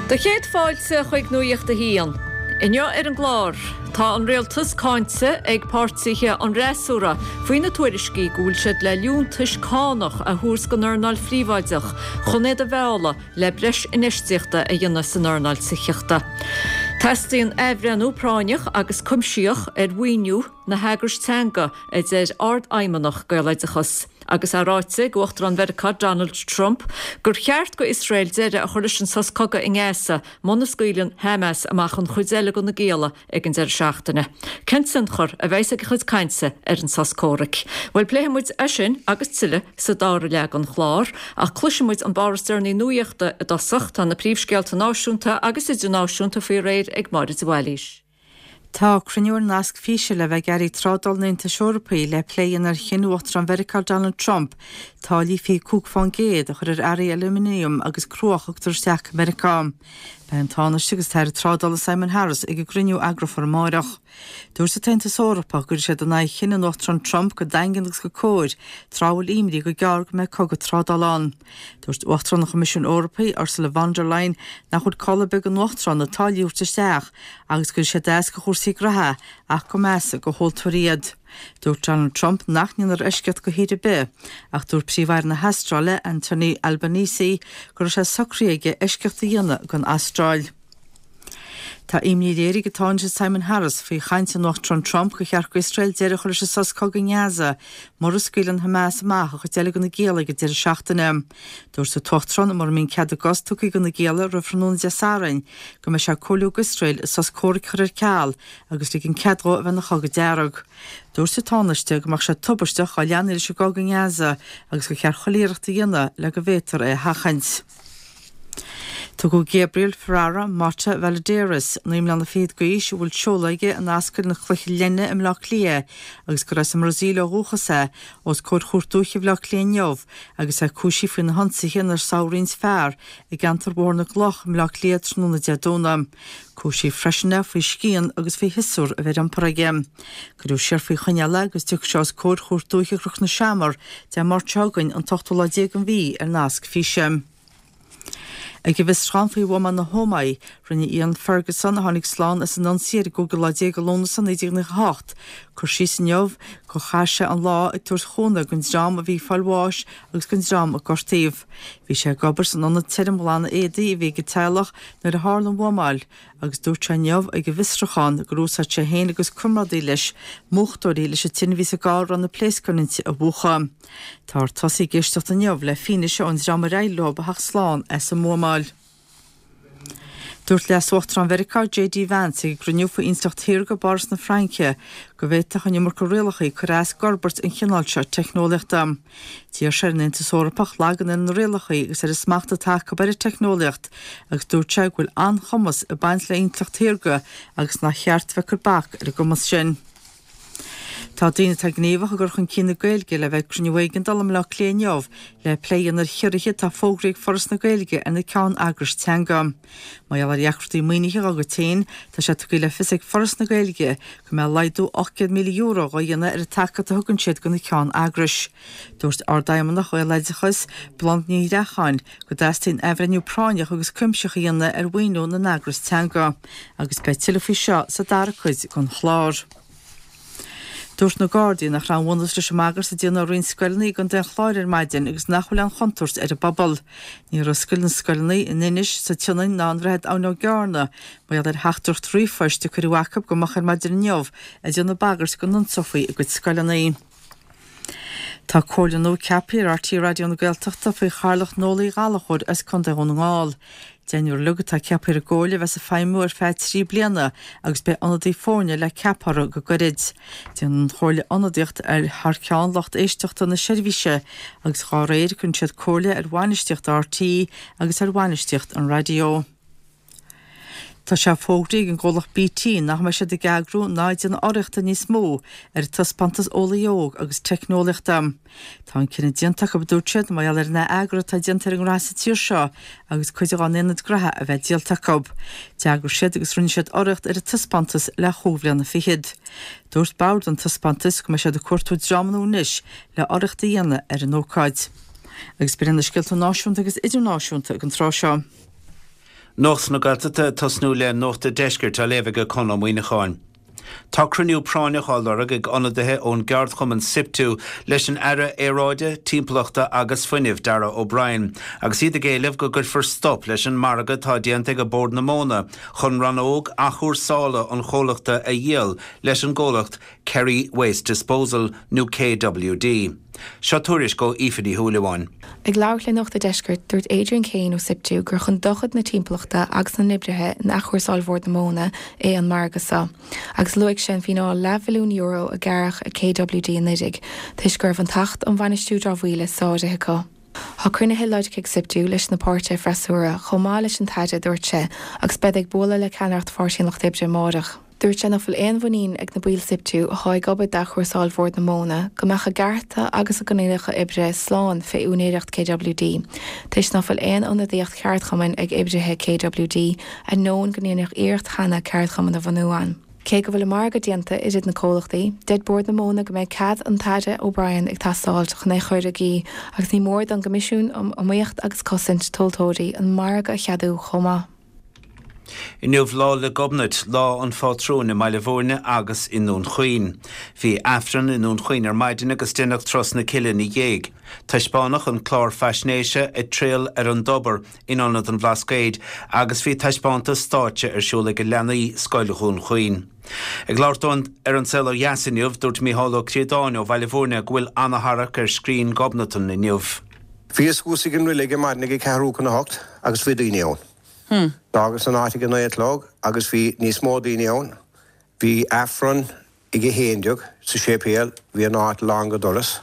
Do chéad fáilte chuig Nuacht a hAon. Inniu ar an gclár, tá an rialtas cáinte ag páirtithe an fhreasúra faoi na tuairiscí go bhfuil siad le liúntais cánach a thabhairt don earnáil phríobháideach chun iad a mhealladh le breis infheistíochta a dhéanamh san earnáil tithíochta. Teastaíonn athbhreithniú práinneach agus cuimsitheach ar mhaoiniú na heagrais teanga, a deir Ardfheidhmeannach Gaeloideachas. Agus é ráite ag Uachtarán Mheiriceá Donald Trump gur cheart go Iosrael deireadh a chur leis an sos cogaidh i nGaza muna scaoileann Hamas amach an chuid eile de na gialla ag an deireadh seachtaine. Cén tionchar a bheas ag a chuid cainte ar an sos comhraic? Bhuel pléifidh muid é sin agus tuilleadh sa dara leath den chlár, ach cloisfidh muid an barra is deireanaí nuachta i dtosach. Tá na príomhscéalta náisiúnta agus idirnáisiúnta faoi réir ag Máire de Bhailís. Tá cruinniú ar nasc físe le bheith ag airí trádála an Aontais Eorpaigh le plé a dhéanamh ar chinn Uachtarán Mheiriceá Donald Trump táillí 25% a chur ar earraí aluminiam agus cruach a thugtar isteach go Meiriceá. Beidh an Tánaiste agus an tAire Trádála Simon Harris ag an gcruinniú a eagrófar amáireach. Dúirt an tAontas Eorpach go gcuirfidh siad in aghaidh chinneadh an Uachtaráin Trump go daingean agus go cóir tráth a bhfuil imní gur gearr go mbeidh cogadh trádála ann. Dúirt Uachtarán an Choimisiúin Eorpaigh, Ursula von der Leyen, nach bhfuil call ar bith ag an Uachtarán na táillí a thabhairt isteach agus go bhfuil sé deas do chúrsaí graithe ach go measa do thomhaltóirí iad. Dúirt Donald Trump nach ndéanfar eisceacht do thír ar bith ach dúirt Príomh-Aire na hAstráile, Anthony Albanese, go raibh sé socraithe aige eisceacht a dhéanamh don Astráil. Tá imní léirithe ag an Tánaiste Simon Harris faoi chaint an Uachtaráin Trump gur cheart d'Iosrael deireadh a chur leis an sos cogaidh i nGaza mura scaoileann Hamas amach an chuid eile de na gialla ag an deireadh seachtaine. Dúirt an tUachtarán mura mbíonn cead a gcos tugtha do na gialla roimh thráthnóna Dé Sathairn go mbeidh sé ag comhairliú d'Iosrael an sos comhraic a chur ar ceal agus ligean cead dhó a bheith ina chogadh dearg. Dúirt an Tánaiste go mbeadh sé tubaisteach dhá leanfaí leis an gcogadh i nGaza agus gur cheart chuile iarracht a dhéanamh le go bhféadfar é a sheachaint. Tugadh Gabriel Ferreira Mota Valadares, 9 mbliana fichead d'aois, a bhfuil seoladh aige in Ascaill na Cloiche Leithne i mBleá Cliath agus gur as an mBrasaíl ó dhúchas é, os comhair Chúirt Dúiche Bhaile Átha Cliath inniu agus é cúisithe faoi na hionsaithe inar sádh roinnt fear i gceantar Bhóthar na gCloch i mBleá Cliath tráthnóna Dé Domhnaigh. Cúisíodh freisin é faoi scian agus faoi shiosúr a bheith ar iompar aige. Cuireadh siar faoi choinneáil é agus tiocfaidh sé os comhair Chúirt Dúiche Chnoc na Seamar Dé Máirt seo chugainn, an t-ochtú lá déag den mhí, ar nasc físe. Ag an bhfiosrúchán faoi bhuamáil na hÓmaí, rinne Ian Ferguson, a tháinig slán as an ionsaí ar an gcúigiú lá déag de Lúnasa 1998, cur síos inniu gur chaith sé an lá ag tabhairt chúnamh don dream a bhí ag fáil bháis agus don dream a gortaíodh. Bhí sé ag obair san ionad tirimghlanadh éadaí a bhí ag an teaghlach nuair a tharla an bhuamáil agus dúirt sé inniu ag an bhfiosrúchán gur úsáid sé féin agus comrádaí leis múchtóirí leis an tine a bhí sa gcarr a raibh na pléascáin inti a mhúchadh. Táthar tosaithe ag éisteacht inniu le fianaise ón dream ar éirigh leo a theacht slán as an mbuamáil. Dúirt Leas-Uachtarán Mheiriceá JD Vance ag an gcruinniú faoi intleacht shaorga i bPáras na Fraince go bhféadfadh an iomarca rialacha cur as d'fhorbairt an chineáil seo teicneolaíochta. D'iarr sé ar an Aontas Eorpach lagan ar na rialacha agus ar an smacht atá acu ar an teicneolaíocht agus dúirt sé go bhfuil an-chumas ag baint le intleacht shaorga agus nár cheart bheith ag cur bac ar an gcumas sin. Tá daoine atá gníomhach i gcur chun cinn na Gaeilge le bheith ag cruinniú éigeandála i mBleá Cliath inniu le plé a dhéanamh ar chiorruithe atá fógraithe ag Foras na Gaeilge ar na ceann-eagrais teanga. Mar gheall ar dheacrachtaí maoinithe dá gcuid féin, tá sé tugtha le fios ag Foras na Gaeilge go mbeidh laghdú €800,000 á dhéanamh ar an tacaíocht a thugann siad do na ceann-eagrais. Dúirt Ardfheidhmeannach Ghaeloideachas, Bláthnaid Ní Ghréacháin, go dteastaíonn athbhreithniú práinneach agus cuimsitheach a dhéanamh ar mhaoiniú na n-eagras teanga agus beidh tuilleadh faoi seo sa dara cuid den chlár. Dúirt na Gardaí nach raibh aon bhunús leis an mbagairt a déanadh ar roinnt scoileanna i gContae an Chláir ar maidin agus nach bhfuil aon chontúirt ar an bpobal. Níor oscail na scoileanna in Inis, sa tSionainn ná i nDroichead Abhainn Ó gCearna mar gheall ar theachtaireacht ríomhphoist a cuireadh acu go moch ar maidin inniu ag déanamh bagairt go n-ionsófaí a gcuid scoileanna. Tá comhairle nua ceaptha ar RTÉ Raidió na Gaeltachta faoi chathaoirleacht Noel Uí Ghallchóir as Contae Dhún na nGall. Deichniúr uilig atá ceaptha ar an gcomhairle a bheas ag feidhmiú ar feadh 3 bliana agus beidh ionadaí foirne le ceapadh orthu go gairid. Déanann an chomhairle ionadaíocht ar thar ceann lucht éisteachta na seirbhíse agus dhá réir cuireann siad comhairle ar bhainistíocht RTÉ agus ar bhainistíocht an raidió. Tá sé fógraithe ag an gcomhlacht BT nach mbeidh siad ag eagrú ná ag déanamh urraíochta níos mó ar an taispeántas Eolaí Óg agus Teicneolaíochta. Tá an cinneadh déanta acu, a dúirt siad, mar gheall ar an ath-eagrú atá déanta ar an ngnóthaí sa tír seo agus cuid dá n-aonaid gnaithe a bheith díolta acu. D'eagraigh siad agus rinne siad urraíocht ar an taispeántas le chúig bhliana fichead. Dúirt bord an taispeántais go mbeidh siad ag cuartú dreamanna anois le urraíocht a dhéanamh ar an ócáid. Agus b'in iad na scéalta náisiúnta agus idirnáisiúnta ag an tráth seo. Nuacht na Gaeltachta ag tosnú le Nuacht a' Deiscirt á léamh ag Conn Ó Muíneacháin. Tá cruinniú práinneach á lorg ag ionadaithe ón gceardchumann Siptu leis an Aire Aeráide, Timpeallachta agus Fuinnimh, Darragh O'Brien, agus iad ag éileamh go gcuirfear stop leis an margadh atá déanta ag Bord na Móna chun rannóg athchúrsála an chomhlachta a dhíol leis an gcomhlacht Kerry Waste Disposal nó KWD. Seo tuairisc ó Aoife Ní Shúilleabháin. Ag labhairt le Nuacht a' Deiscirt, dúirt Adrian Kane ó Siptu gur chun dochair na timpeallachta agus na n-oibrithe in athchúrsáil Bhord na Móna é an margadh seo, agus luaigh sé an fíneáil leathmhilliún euro a gearradh ar KWD anuraidh toisc go raibh an tAcht um Bhainistiú Dramhaíola sáraithe acu. Tá cruinnithe lorgtha ag Siptu leis na páirtithe freasúra chomh maith leis an tAire, a dúirt sé, agus beid ag bualadh le ceannaireacht Pháirtí an Lucht Oibre amárach. Dúirt sé nach bhfuil aon mhuinín ag na baill Siptu athá ag obair d'athchúrsáil Bhord na Móna go mbeadh a gcearta agus a gcoinníollacha oibre slán fé úinéireacht KWD toisc ná fuil aon ionadaíocht cheardchumainn ag oibrithe KWD ainneoin go ndeineadh iarracht cheana ceardchumann a bhunú ann. Cé go bhfuil an margadh déanta idir na comhlachtaí, deir Bord na Móna go mbeidh cead an tAire O'Brien ag teastáilt chun é chur i gcrích agus ní mór don gCoimisiún um Iomaíocht agus Cosaint Tomhaltóirí an margadh a cheadú chomh maith. Inniu Lá 'le Gobnait, lá an phátrúin i mBaile Bhúirne agus i nDún Chaoin. Bhí Aifreann i nDún Chaoin ar maidin agus deineadh Turas na Cille ina dhiaidh. Taispeánadh an clár faisnéise Ag Triall ar an dTobar in Ionad an Bhlascaoid agus bhí taispeántas stáitse ar siúl ag leanaí Scoil Dhún Chaoin. Ag labhairt dó ar An Saol Ó Dheas inniu, dúirt Micheál Ó Críodáin ó Bhaile Bhúirne go bhfuil ana-tharrac ar scrín Ghobnatan inniu. Bhíos thuas ag an reilig ar maidin ag a ceathrú chun a hocht agus bhí daoine ann. D'fhágas an áit ag a 9 a chlog agus bhí níos mó daoine ann. Bhí Aifreann ag a 11 sa séipéal, bhí an áit lán go doras.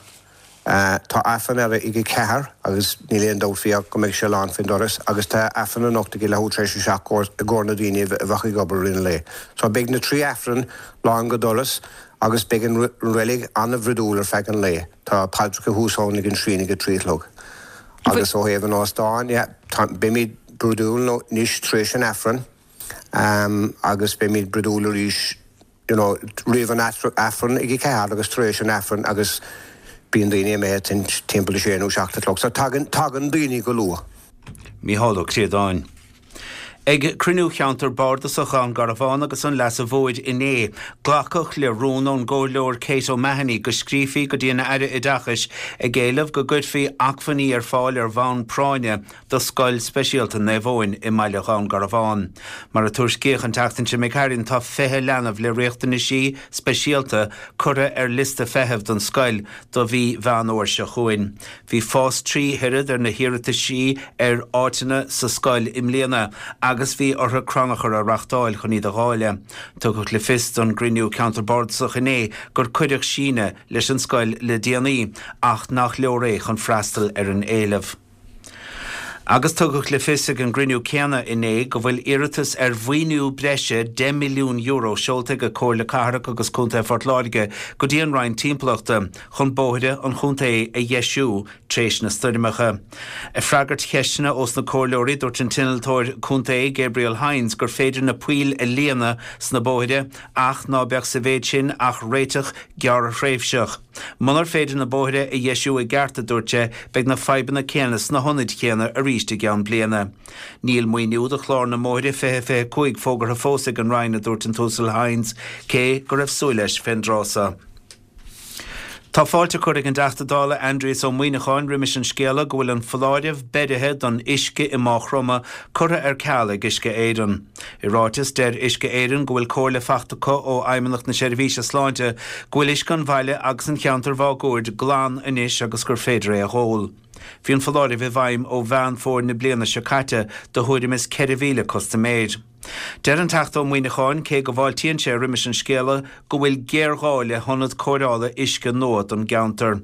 Tá Aifreann eile ag a ceathair agus níl aon dabht faoi ach go mbeidh sé lán faoin doras agus tá Aifreann anocht ag a leathuair tar éis a seacht i gcomhair na daoine a bheadh ag obair i rith an lae. So beidh na trí Aifreann lán go doras agus beidh an reilig an-bhruidiúil ar feadh an lae. Tá paidreacha thuas ann ag an shrine ag a trí a chlog. Agus ó thaobh an óstáin, yeah, tá, beimid brúidiúil anois tar éis an Aifrinn, agus beimid brúidiúil arís, you know, roimh an Aifreann ag a ceathair agus tar éis an Aifrinn agus bíonn daoine imithe timpeall a sé nó seacht a chlog. So tagann, tagann daoine go luath. Mícheál Ó Críodáin. Ag cruinniú Cheantar Bardasach Dhún Garbhán agus an Leasa Mhóir inné, glacadh le rún ón gComhairleoir Kate O'Mahony go scríofaí go dtí an Aire Oideachais ag éileamh go gcuirfí acmhainní ar fáil ar bhonn práinne do Scoil Speisialta Naomh Eoin i mbaile Dhún Garbhán. Mar a tuairiscíodh an tseachtain seo imigh tharainn, tá 20 leanbh le riachtanaisí speisialta curtha ar liosta feithimh don scoil do mhí Mheán Fhómhair seo chugainn. Bhí fás 3 oiread ar na hiarrataisí ar áiteanna sa scoil i mbliana agus bhí orthu crannchur a reachtáil chun iad a dháileadh. Tugadh le fios don gcruinniú Ceantar Bardasach inné gur cuireadh síneadh leis an scoil le déanaí ach nach leor é chun freastal ar an éileamh. Agus tugadh le fios ag an gcruinniú céanna inné go bhfuil iarratas ar mhaoiniú breise €10 milliún seolta ag Comhairle Cathrach agus Contae Phort Láirge go dtí an Roinn Timpeallachta chun bóithre an chontae a dheisiú tréis na stoirmeacha. Ag freagairt cheisteanna ós na comhairleoirí, dúirt an t-innealtóir contae Gabriel Hynes gur féidir na poill a líonadh sna bóithre ach ná beadh sa mhéid sin ach réiteach gearrthréimhseach. Munar féidir na bóithre a dheisiú i gceart, a dúirt sé, beidh na fadhbanna céanna sna hionaid chéanna arís i gceann bliana. Níl maoiniú do chlár na mbóithre 2025 fógartha fós ag an Roinn, a dúirt an tUasal Hynes, cé go raibh súil leis fén dtráth so. Tá fáilte curtha ag an dTeachta Dála Aindrias Ó Muimhneacháin roimis an scéala go bhfuil an foláireamh beirithe don uisce i Máigh Chromtha curtha ar ceal ag Uisce Éireann. I ráiteas, deir Uisce Éireann go bhfuil comhairle fachta acu ó Fheidhmeannacht na Seirbhíse Sláinte go bhfuil uisce an bhaile agus an cheantair mháguaird glan anois agus gur féidir é a dh'ól. Bhí an foláireamh i bhfeidhm ó Mheán Fómhair na bliana seo caite do thuairim is 4,000 custaiméir. Deir an Teachta Ó Muimhneacháin, cé go bhfáiltíonn sé roimis an scéala, go bhfuil géarghá le hionad cóireála uisce nua don gceantar.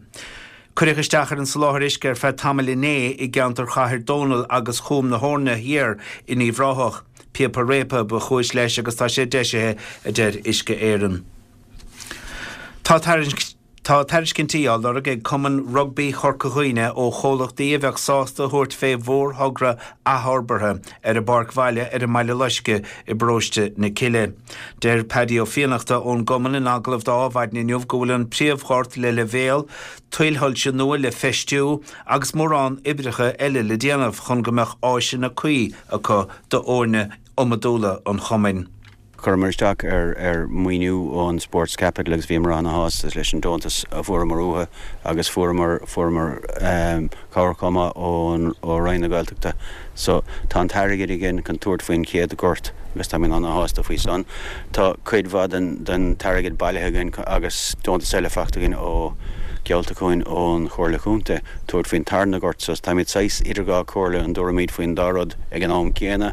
Cuireadh isteach ar an soláthar uisce ar feadh tamaill inné i gceantar Chathair Dónall agus Chúm na hEorna Thiar in Uíbh Ráthach. Píopa réabtha ba chúis leis agus tá sé deisithe, a deir Uisce Éireann. Tá. Tá tairiscintí á lorg ag Cumann Rugbaí Chorca Dhuibhne ó chomhlachtaí a bheadh sásta a thabhairt fé mhórthogra athfhorbartha ar a bpáirc bhaile ar an mBaile Loiscthe i bparóiste na Cille. Deir Paddy Ó Fiannachta ón gcumann in agallamh do Adhmhaidin inniu go bhfuil an príomhghort le leibhéal, tuilshoilse nua le feistiú agus mórán oibreacha eile le déanamh chun go mbeadh áiseanna cuí acu d'fhoirne iomadúla an chumainn. Chuireamar isteach ar ar maoiniú ón Sports Capital agus bhíomar ana-shásta leis an deontas a fuaireamar uathu agus fuaireamar fuaireamar cabhair chomh maith ón ó Roinn na Gaeltachta. So tá an t-airgead againn chun tabhairt faoin chéad ghort agus táimid ana-shásta faoi san. Tá cuid mhaith den den t-airgead bailithe againn agus deontas eile faighte againn ó geallta chugainn ón Chomhairle Chontae tabhairt faoin tarna gort so táimid saghas idir dhá chomhairle an dtabharfaimid faoin dá rud ag an am céanna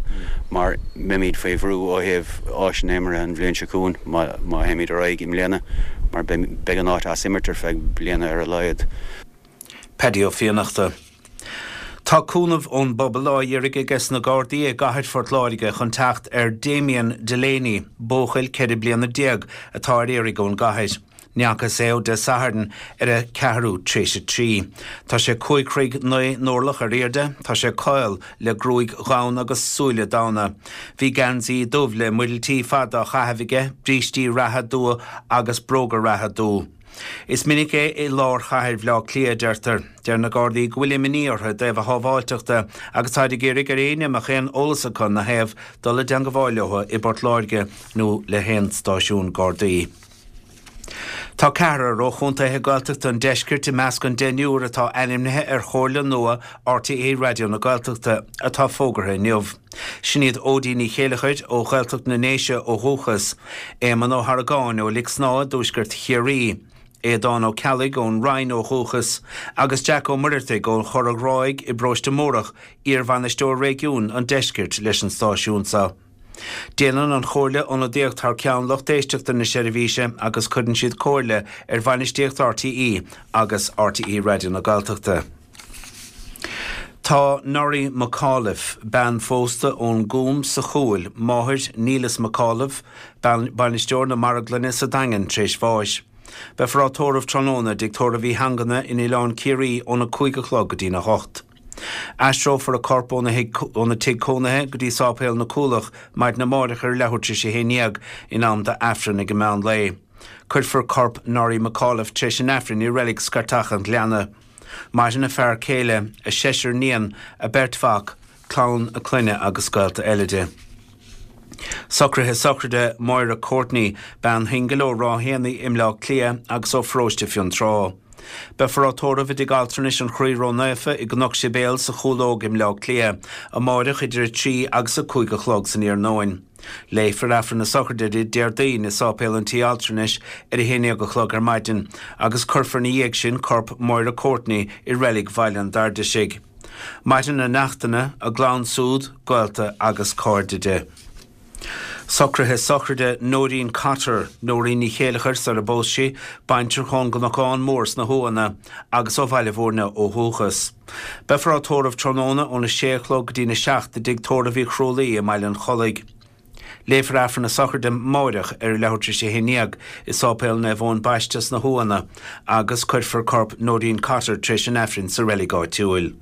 mar Beimid faoi bhrú ó thaobh áiseanna imeartha an bhliain seo chugainn má théimid ar aghaidh i mbliana mar beidh an áit as imirt ar feadh bliana ar a laghad. Paddy Ó Fiannachta. Tá cúnamh ón bpobal á iarraidh aige na Gardaí i gcathair Phort Láirge chun teacht ar Damien Delaney, buachaill 14 bliana atá ar iarraidh ón gcathair. Ní fhacthas é ó Dé Sathairn ar a ceathrú tar éis a 3. Tá sé 5 throigh 9 n-orlach ar airde, tá sé caol, le gruaig dhonn agus súile donna. Bhí geansaí dubh le muiriltí fada á chaitheamh aige, brístí reatha dubha agus bróga reatha dubha. Is minic é i lár chathair Bhaile Átha Cliath, a deirtear. Deir na Gardaí go bhfuil imní orthu i dtaobh a shábháilteachta agus táid ag iarraidh ar éinne a mbeadh aon eolas acu ina thaobh dul i dteangabháil leo i bPort Láirge nó le haon stáisiún Gardaí. Tá ceathrar ó chontaetha Gaeltachta an deiscirt i measc an deichniúr atá ainmnithe ar chomhairle nua RTÉ Raidió na Gaeltachta atá fógartha inniu. Sin iad Óidín Ní Chéilleachair ó Ghaeltacht na nDéise ó dhúchas, Éamonn Ó hArgáin ó Lic Snámha i dtuaisceart Chiarraí, Aodán Ó Ceallaigh ón Rinn ó dhúchas agus Jack Ó Muircheartaigh ón Chora Ghráig i bParóiste Mórdhach, iarbhainisteoir réigiúin an deiscirt leis an stáisiún seo. Déanann an Chomhairle ionadaíocht thar ceann lucht éisteachta na seirbhíse agus cuireann siad comhairle ar bhainistíocht RTÉ agus RTÉ Raidió na Gaeltachta. Tá Norrie McAuliffe, bean phósta ón gCúm sa Chúil, máthair Neilus McAuliffe, bainisteoir na marglainne sa Daingean, tar éis bháis. Beifear á tórramh tráthnóna i dTigh Tórraimh Uí hAngana in Oileán Ciarraí óna 5 a chlog go dtína 8. Aistreofar a corp óna tigh cónaithe go dtí Sáipéal na Cúlach maidin amáireach ar leathuair tar éis a haon dhéag, in am d'Aifreann ag an meán lae. Cuirfear corp Norrie McAuliffe tar éis an Aifrinn i Reilig Scairteach an Ghleanna. Maireann a fear céile, a seisear níon, a beirt mhac, clann a clainne agus gaolta eile di. Socruithe sochraide Moira Courtney, bean shingil ó Ráth Éanaigh i mBleá Cliath agus ó Pharóiste Fionntrá. Beifear á tórramh i dTigh Altranais an Chroí Ró-Naofa i gCnoc Sibéal sa Chúlóg i mBleá Cliath amáireach idir 3 agus 5 a chlog san iarnóin. Léifear Aifreann na sochraide di Déardaoin i Sáipéal an Tí Altranais ar 11 a chlog ar maidin agus cuirfear ina dhiaidh sin corp Moira Courtney i Reilig Bhaile an Dairdisigh. Maireann a neachtanna, a gclann súd, gaolta agus cairde di. Socruithe sochraide Nóirín Cotter, Nóirín Ní Chéileachair sar a bpós sí, baintreach ón gCnocán Mór sna hUamhanna agus ó Bhaile Bhúirne ó dhúchas. Beifear á tórramh tráthnóna óna sé a chlog go dtína seacht i dTigh Tórraimh Uí Chrualaoi i mBaile an Chollaigh. Léifear Aifreann na sochraide amáireach ar a leathuair tar éis a haon dhéag i Sáipéal Naomh Eoin Baiste sna hUamhanna agus cuirfear corp Nóirín Cotter tar éis an Aifrinn sa reilig áitiúil.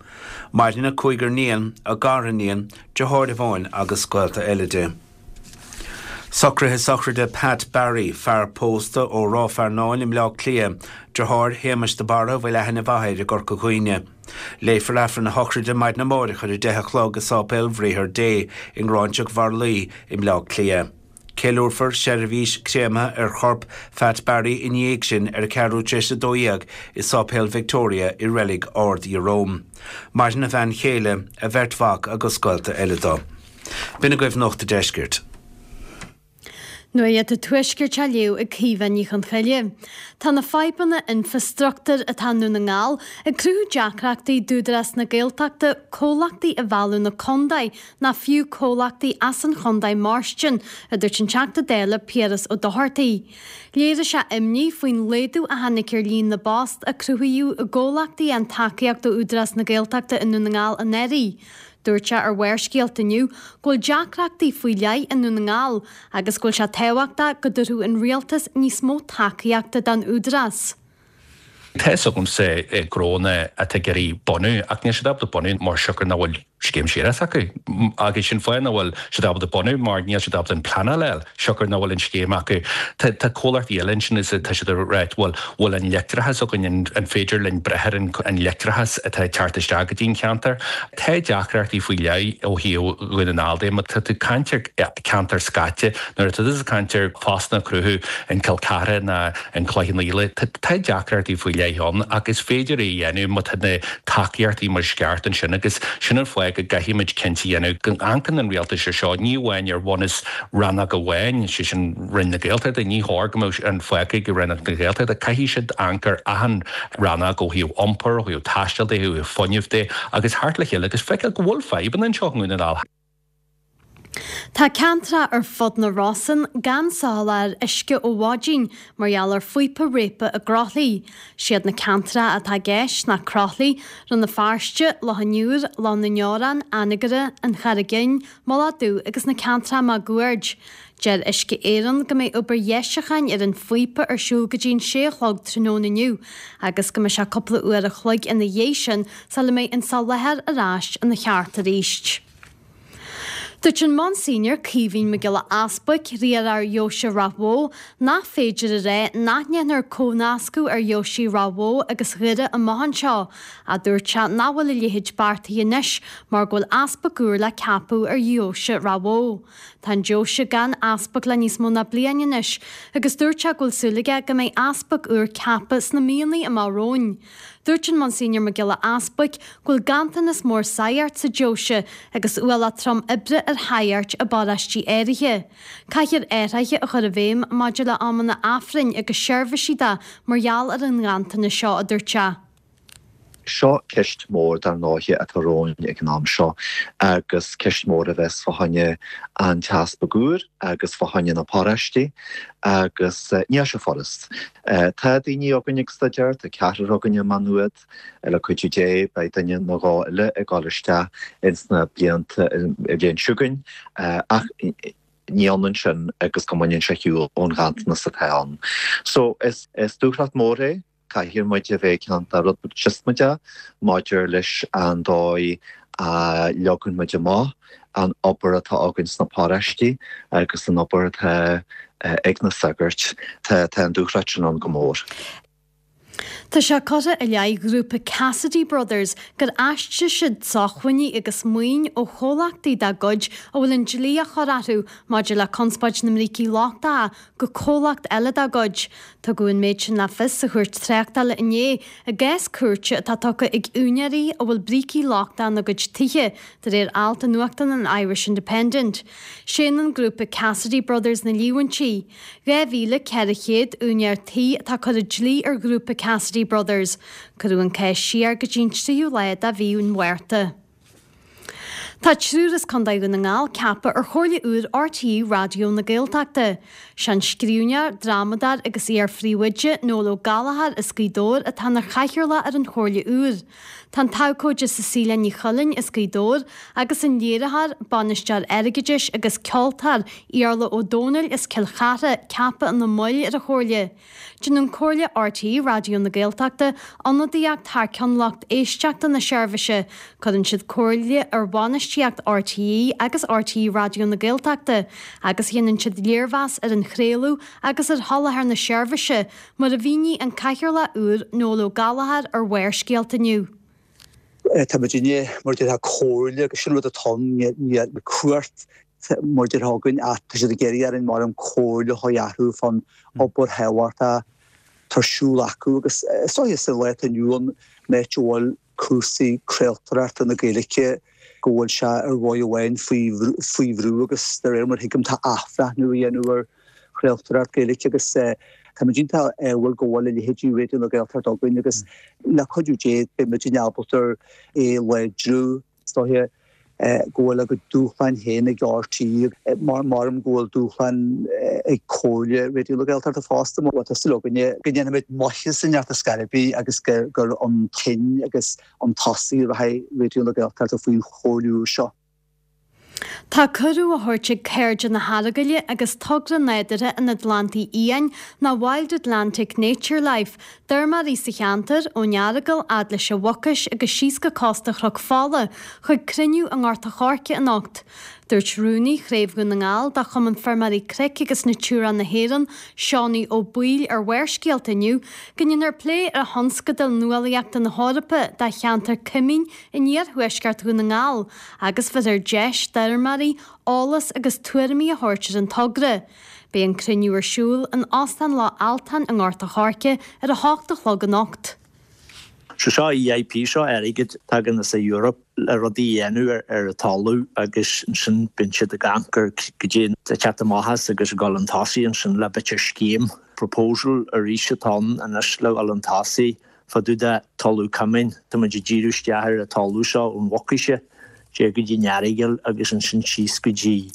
Maireann a cúigear níon, a gariníon, deartháir amháin agus gaolta eile di. Socruithe sochraide Pat Barry, fear pósta ó Ráth Fearnáin i mBleá Cliath, deartháir Shéamais de Barra a bhfuil aithne mhaith air i gCorca Dhuibhne. Léifear Aifreann a shochraide maidin amáireach ar 10 a chlog i Sáipéal Bhriathar Dé i nGráinseach Mharlaí i mBleá Cliath. Ceiliúrfar seirbhís créamtha ar chorp Phat Barry ina dhiaidh sin ar a ceathrú tar éis a 12 i Sáipéal Victoria i Reilig Ard Iaróm. Maireann a bhean chéile, a bheirt mhac agus gaolta eile dó. B'in agaibh Nuacht a' Deiscirt. Nuacht an Tuaiscirt á léamh ag Caoimhe Ní Chonchoille. Tá na fadhbanna infreastruchtúir atá i nDún na nGall ag cruthú deacrachtaí d'Údarás na Gaeltachta comhlachtaí a mhealladh 'na contae ná fiú comhlachtaí as an chontae mairstin, a dúirt an Teachta Dála Piaras Ó Dochartaigh. Léirigh sé imní faoin laghdú a tháinig ar líon na bpost a cruthaíodh i gcomhlachtaí a fhaigheann tacaíocht ó Údarás na Gaeltachta i nDún na nGall anuraidh. Dúirt sé ar Bharrscéalta inniu go bhfuil deacrachtaí faoi leith i nDún na nGall agus go bhfuil sé tábhachtach go dtabharfadh an Rialtas níos mó tacaíochta don Údarás. Tá fhios agamsa gnónna atá ag iarraidh bunú ach níl siad ábalta bunú mar siocair nach bhfuil scéim séarachais acu. Agus sin fáth nach bhfuil siad ábalta bunú mar níl siad ábalta an pleanáil a fháil siocair nach bhfuil an scéim acu. Tá tá comhlachtaí eile ansin is tá siad ag ráit bhuel bhfuil an leictreachas againn an an féidir linn breith ar an an leictreachas atá ag teacht isteach go dtí an cheantar. Tá deacrachtaí faoi leith ó thaobh Dhún na nGall de má tá tú ag caint ar ceantar scaite nuair atá tú ag caint ar phostanna a chruthú in Cill Chartha ná in Cloich Cheann Fhaola. Tá deacrachtaí faoi leith ann ach is féidir é a dhéanamh má tá na tacaíochtaí mar is ceart ansin agus sin an fáth go gcaithfimid cinnte a dhéanamh go n-amharcann an rialtas ar seo ní amháin ar bhunús rannóg amháin, sé sin Roinn na Gaeltachta, ní chóir go mbeadh an fágtha ag Roinn na Gaeltachta, caithfidh siad amharc ar achan rannóg ó thaobh iompair, ó thaobh taistil de, ó thaobh fuinnimh de agus theacht le chéile agus feiceáil go bhfuil fadhbanna anseo i nDún na nGall. Tá ceantracha ar fud na Rosann gan soláthar uisce ó mhaidin mar gheall ar phíopa réabtha i gCroithlí. Siad na ceantracha atá i gceist ná Croithlí, Rann na Feirste, Loch an Iúir, Loch na nDeorán, Anagaire, An Charraig Fhinn, Mullach Dubh agus na ceantracha máguaird. Deir Uisce Éireann go mbeidh obair dheisiúcháin ar an phíopa ar siúl go dtí an sé a chlog tráthnóna inniu agus go mbeidh sé cúpla uair a chloig ina dhiaidh sin sula mbeidh an soláthar ar ais ina cheart arís. Dúirt an Monsignor Caoimhín Mac Giolla Easbuic, riarthóir Dheoise Ráth Bhoth, nach féidir a rá nach ndéanfar comhnascadh ar dheoisí Ráth Bhoth agus Dhoire amach anseo, ach dúirt sé nach bhfuil a leithéid beartaithe anois mar go bhfuil easpag úr le ceapadh ar dheoise Ráth Bhoth. Tá an deoise gan easpag le níos mó ná bliain anois agus dúirt sé go bhfuil súil aige go mbeidh easpag úr ceaptha sna míonna amach romhainn. Dúirt an Monsignor Mac Giolla Easbuic go bhfuil ganntanas mór saghart sa deoise agus ualach trom oibre ar shaghaird i bparóistí áirithe. Caithfear athruithe a chur i bhfeidhm maidir le amanna Aifrinn agus seirbhísí de mar gheall ar an nganntanas seo, a dúirt sé. Seo ceist mhór dar ndóighe atá romhainn ag an am seo agus ceist mhór a bheas fá choinne an t-easpag úr agus fá choinne na paróistí agus níl sé furast. Tá daoine againn ag staidéar, tá ceathrar againn i Má Nuad, le cuidiú Dé beidh duine nó dhó eile ag dul isteach ins na blianta, an bhliain seo chugainn, ach ní ionann sin agus go mbaineann sé shiúl ón ghanntanas atá ann. So is dúthracht mór é. Caithfidh muid a bheith iontach rud beag siosmaideach maidir leis an dóigh a leagann muid amach an obair atá againn sna paróistí agus an obair atá ag na sagairt. Tá an dúthracht sin ann go mór. Tá sé curtha i leith ghrúpa Cassidy Brothers gur aistrigh siad sócmhainní agus maoin ó chomhlachtaí dá gcuid a bhfuil an dlí á chur orthu maidir le conspóid na mbrící lochtacha go comhlacht eile dá gcuid. Tugadh an méid sin le fios sa chúirt tráchtála inné i gcás cúirte atá tugtha ag úinéirí a bhfuil brící lochtacha ina gcuid tithe, de réir alt i nuachtán an Irish Independent. Séanann grúpa Cassidy Brothers na líomhaintí. 2,400 úinéir tí atá ag cur an dlí ar ghrúpa Cassidy Brothers. Cuireadh an cás siar go dtí an tríú lá de mhí an Mhárta. Tá triúr as Contae Dhún na nGall ceaptha ar Chomhairle úr RTÉ Raidió na Gaeltachta. Sé an scríbhneoir, drámadóir agus iar-phríomhoide, Noel Ó Gallchóir as Gaoth Dobhair atá ina chathaoirleach ar an Chomhairle úr. Tá an t-abhcóide Cecilia Ní Chuilinn as Gaoth Dobhair agus an léiritheoir, bainisteoir airgeadais agus ceoltóir Iarla Ó Domhnaill as Cill Chartha ceaptha ina mbaill ar an Chomhairle. Déanann Comhairle RTÉ Raidió na Gaeltachta ionadaíocht thar ceann lucht éisteachta na seirbhíse, cuireann siad comhairle ar bhainistíocht RTÉ agus RTÉ Raidió na Gaeltachta, agus déanann siad léirmheas ar an chraoladh agus ar sholáthar na seirbhíse, mar a mhínigh an Cathaoirleach úr Noel Ó Gallchóir ar Bharrscéalta inniu. Tá muidinne, mar a déarfá, comhairle agus sin rud atá ann, níl cumhacht mar a déarfá againn ach tá siad ag iarraidh orainn mar an comhairle a chur orthu fán obair thábhachtach atá ar siúl acu agus is dóiche sa lá atá inniu ann an áit a bhfuil cúrsaí craoltóireachta na Gaeilge go bhfuil sé ar dhóigh amháin faoi bhrú agus de réir mar a thuigim tá athbhreithniú á dhéanamh ar chraoltóireacht Gaeilge agus táimid iontach ádhúil go bhfuil a leithéidí Raidió na Gaeltachta againn agus le cuidiú Dé beidh muidinne ábalta é a láidriú. Is dóiche go bhfuil a gcuid dúshláin féin ag RTÉ mar maram go bhfuil dúshláin ag Comhairle Raidió na Gaeltachta fosta. Bhuel tá súil againne go ndéanfaimid maitheas inteacht ar scor ar bith agus gur chun cinn agus chun tosaigh a rachaidh Raidió na Gaeltachta faoin Chomhairle úr seo. Tá cuireadh á thabhairt ag Cairde na hEaragaile agus Togra Nádúrtha an Atlantaigh Fhiáin, nó Wild Atlantic Nature Life, d'fheirmeoirí sa cheantar, ón Earagail fhad leis an Mhucais agus síos go cósta Chnoc Fola, chuig cruinniú i nGort a' Choirce anocht. Dúirt Rúnaí Chraobh Dhún na nGall de Chumann Feirmeoirí Cnoic agus Natura na hÉireann, Seánie Ó Baoill ar Bharrscéalta inniu, go ndéanfar plé ar thionscadal nuálaíochta na hEorpa do cheantar Coimín in iarthuaisceart Dhún na nGall agus bheirfear deis d'fheirmeoirí eolas agus tuairimí a thabhairt ar an togra. Beidh an cruinniú ar siúl in Óstán Loch Altáin i nGort a' Choirce ar a hocht a chlog anocht. So seo EIP, seo airgead tagann as an Europe le rudaí a dhéanamh ar an talamh agus ansin bíonn siad ag amharc ar goidé atá ag teacht amach as agus ag dul chun tosaigh ansin le b'fhéidir scéim, proposal arís atá ann anois le dhul chun tosaigh fá dtaobh de talamh coimín. Tá muid ag díriú isteach ar an talamh seo ón Mhucais siar go dtí an Earagail agus ansin síos go dtí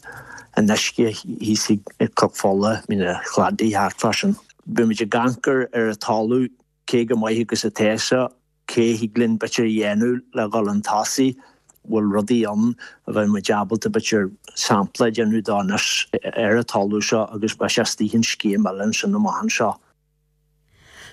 an uisce thíos ag Cnoc Fola, Mín an Chladaigh, thart fá sin. Beidh muid ag amharc ar an talamh, cé chomh maith agus atá sé, cé thig linn b'fhéidir a dhéanamh le dhul chun tosaigh, bhfuil rudaí ann a bheidh muid ábalta b'fhéidir sampla a dhéanamh dó anois ar an talamh seo agus beidh sé istigh in scéim eile ansin amach anseo.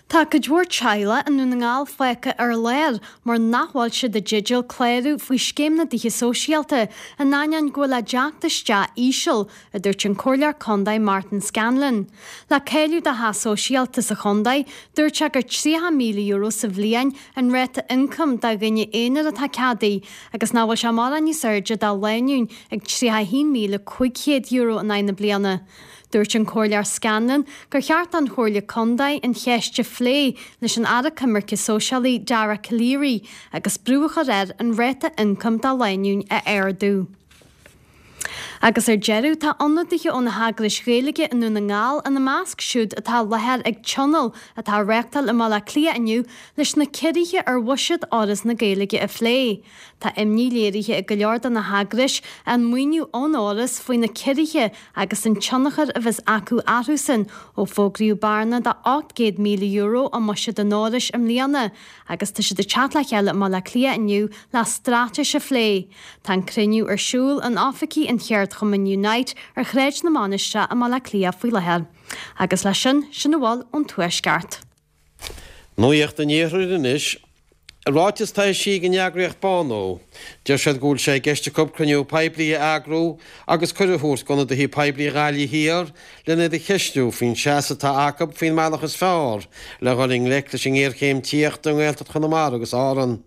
Tá cuid mhór teaghlach i nDún na nGall fágtha ar lár mar nach bhfuil siad i dteideal clárú faoi Scéim na dTithe Sóisialta in ainneoin go bhfuil a dteacht isteach íseal, a dúirt an Comhairleoir Contae Martin Scanlon. Le cáiliú do theach sóisialta sa chontae, dúirt sé gur €30,000 sa bhliain an ráta ioncaim do dhuine aonair atá ceadaithe agus nach bhfuil sé mórán níos airde do lánúin ag €31,500 in aghaidh na bliana. Dúirt an Comhairleoir Scanlon gur cheart don Chomhairle Contae an cheist a phlé leis an Aire Coimirce Sóisialaí Dara Calleary agus brú a chur air an ráta ioncaim do lánúin a ardú. Agus ar deireadh, tá ionadaithe ó na heagrais Ghaeilge i nDún na nGall ina measc siúd atá i láthair ag tionól atá á reáchtáil i mBaile Átha Cliath inniu leis na ciorruithe ar bhuiséad Fhoras na Gaeilge a phlé. Tá imní léirithe ag go leor de na heagrais an maoiniú ón Fhoras faoi na ciorruithe agus an tionchar a bheas acu orthusan ó fógraíodh bearna de €800,000 i mbuiséad an Fhorais i mbliana agus tá siad ag teacht le chéile i mBaile Átha Cliath inniu le straitéis a phlé. Tá an cruinniú ar siúl in oifigí an cheardchumainn Unite ar Shráid na Mainistreach i mBaile Átha Cliath faoi láthair. Agus leis sin, sin a bhfuil ón Tuaisceart. Nuacht an Iarthair anois. I ráiteas atá eisithe ag an eagraíocht Bánú, deir siad go bhfuil sé i gceist acu cruinniú poiblí a eagrú agus cuireadh a thabhairt d'ionadaithe poiblí Ghaillimh Thiar lena iad a cheistiú faoin seasamh atá acu faoin mbealach is fearr le dhul i ngleic leis an ngéarchéim tithíochta i nGaeltacht Chonamara agus Árann.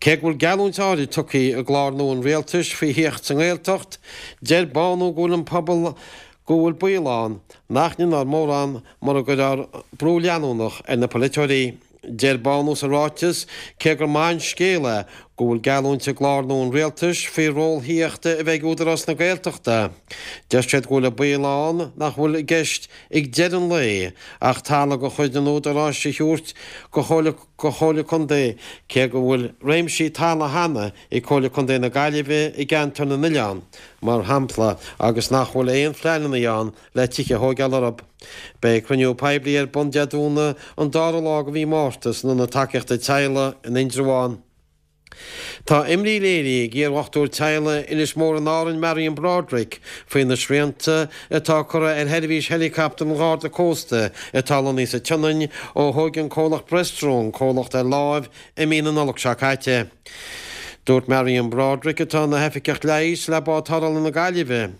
Cé go bhfuil geallúint áirid tugtha i gclár nua an rialtais faoi thithíocht sa nGaeltacht, deir Bánú go bhfuil an pobal go bhfuil baol ann nach ndéanfar mórán mura gcuirfear brú leanúnach ar na polaiteoirí. Deir Bánú sa ráiteas cé gur maith an scéal é go bhfuil geallúint i gclár nua an rialtais faoi ról thithíochta a bheith ag Údarás na Gaeltachta, deir siad go bhfuil an baol ann nach bhfuil i gceist ag deireadh an lae ach talamh de chuid an Údaráis a thabhairt go Chomhairle go Chomhairle Contae, cé go bhfuil réimsí talaimh cheana ag Comhairle Contae na Gaillimhe i gCeantar na nOileán, mar shampla, agus nach bhfuil aon phleananna ann le tithe a thóigeáil orthu. Beidh cruinniú poiblí ar bun Dé Domhnaigh an dara lá de mhí Márta san Ionad Tacaíochta Teaghlaigh in Indreabhán. Tá imní léirithe ag iardhochtúir teaghlaigh Inis Mór in Árainn Marion Broderick faoi na srianta atá curtha ar sheirbhís heileacaptar an Gharda Cósta atá lonnaithe sa tSionainn ó thóg an comhlacht Bristow an comhlacht ar láimh i mí na Nollag seo caite. Dúirt Marion Broderick atá ina hoifigeach leighis le Bád Tarrthála na Gaillimhe,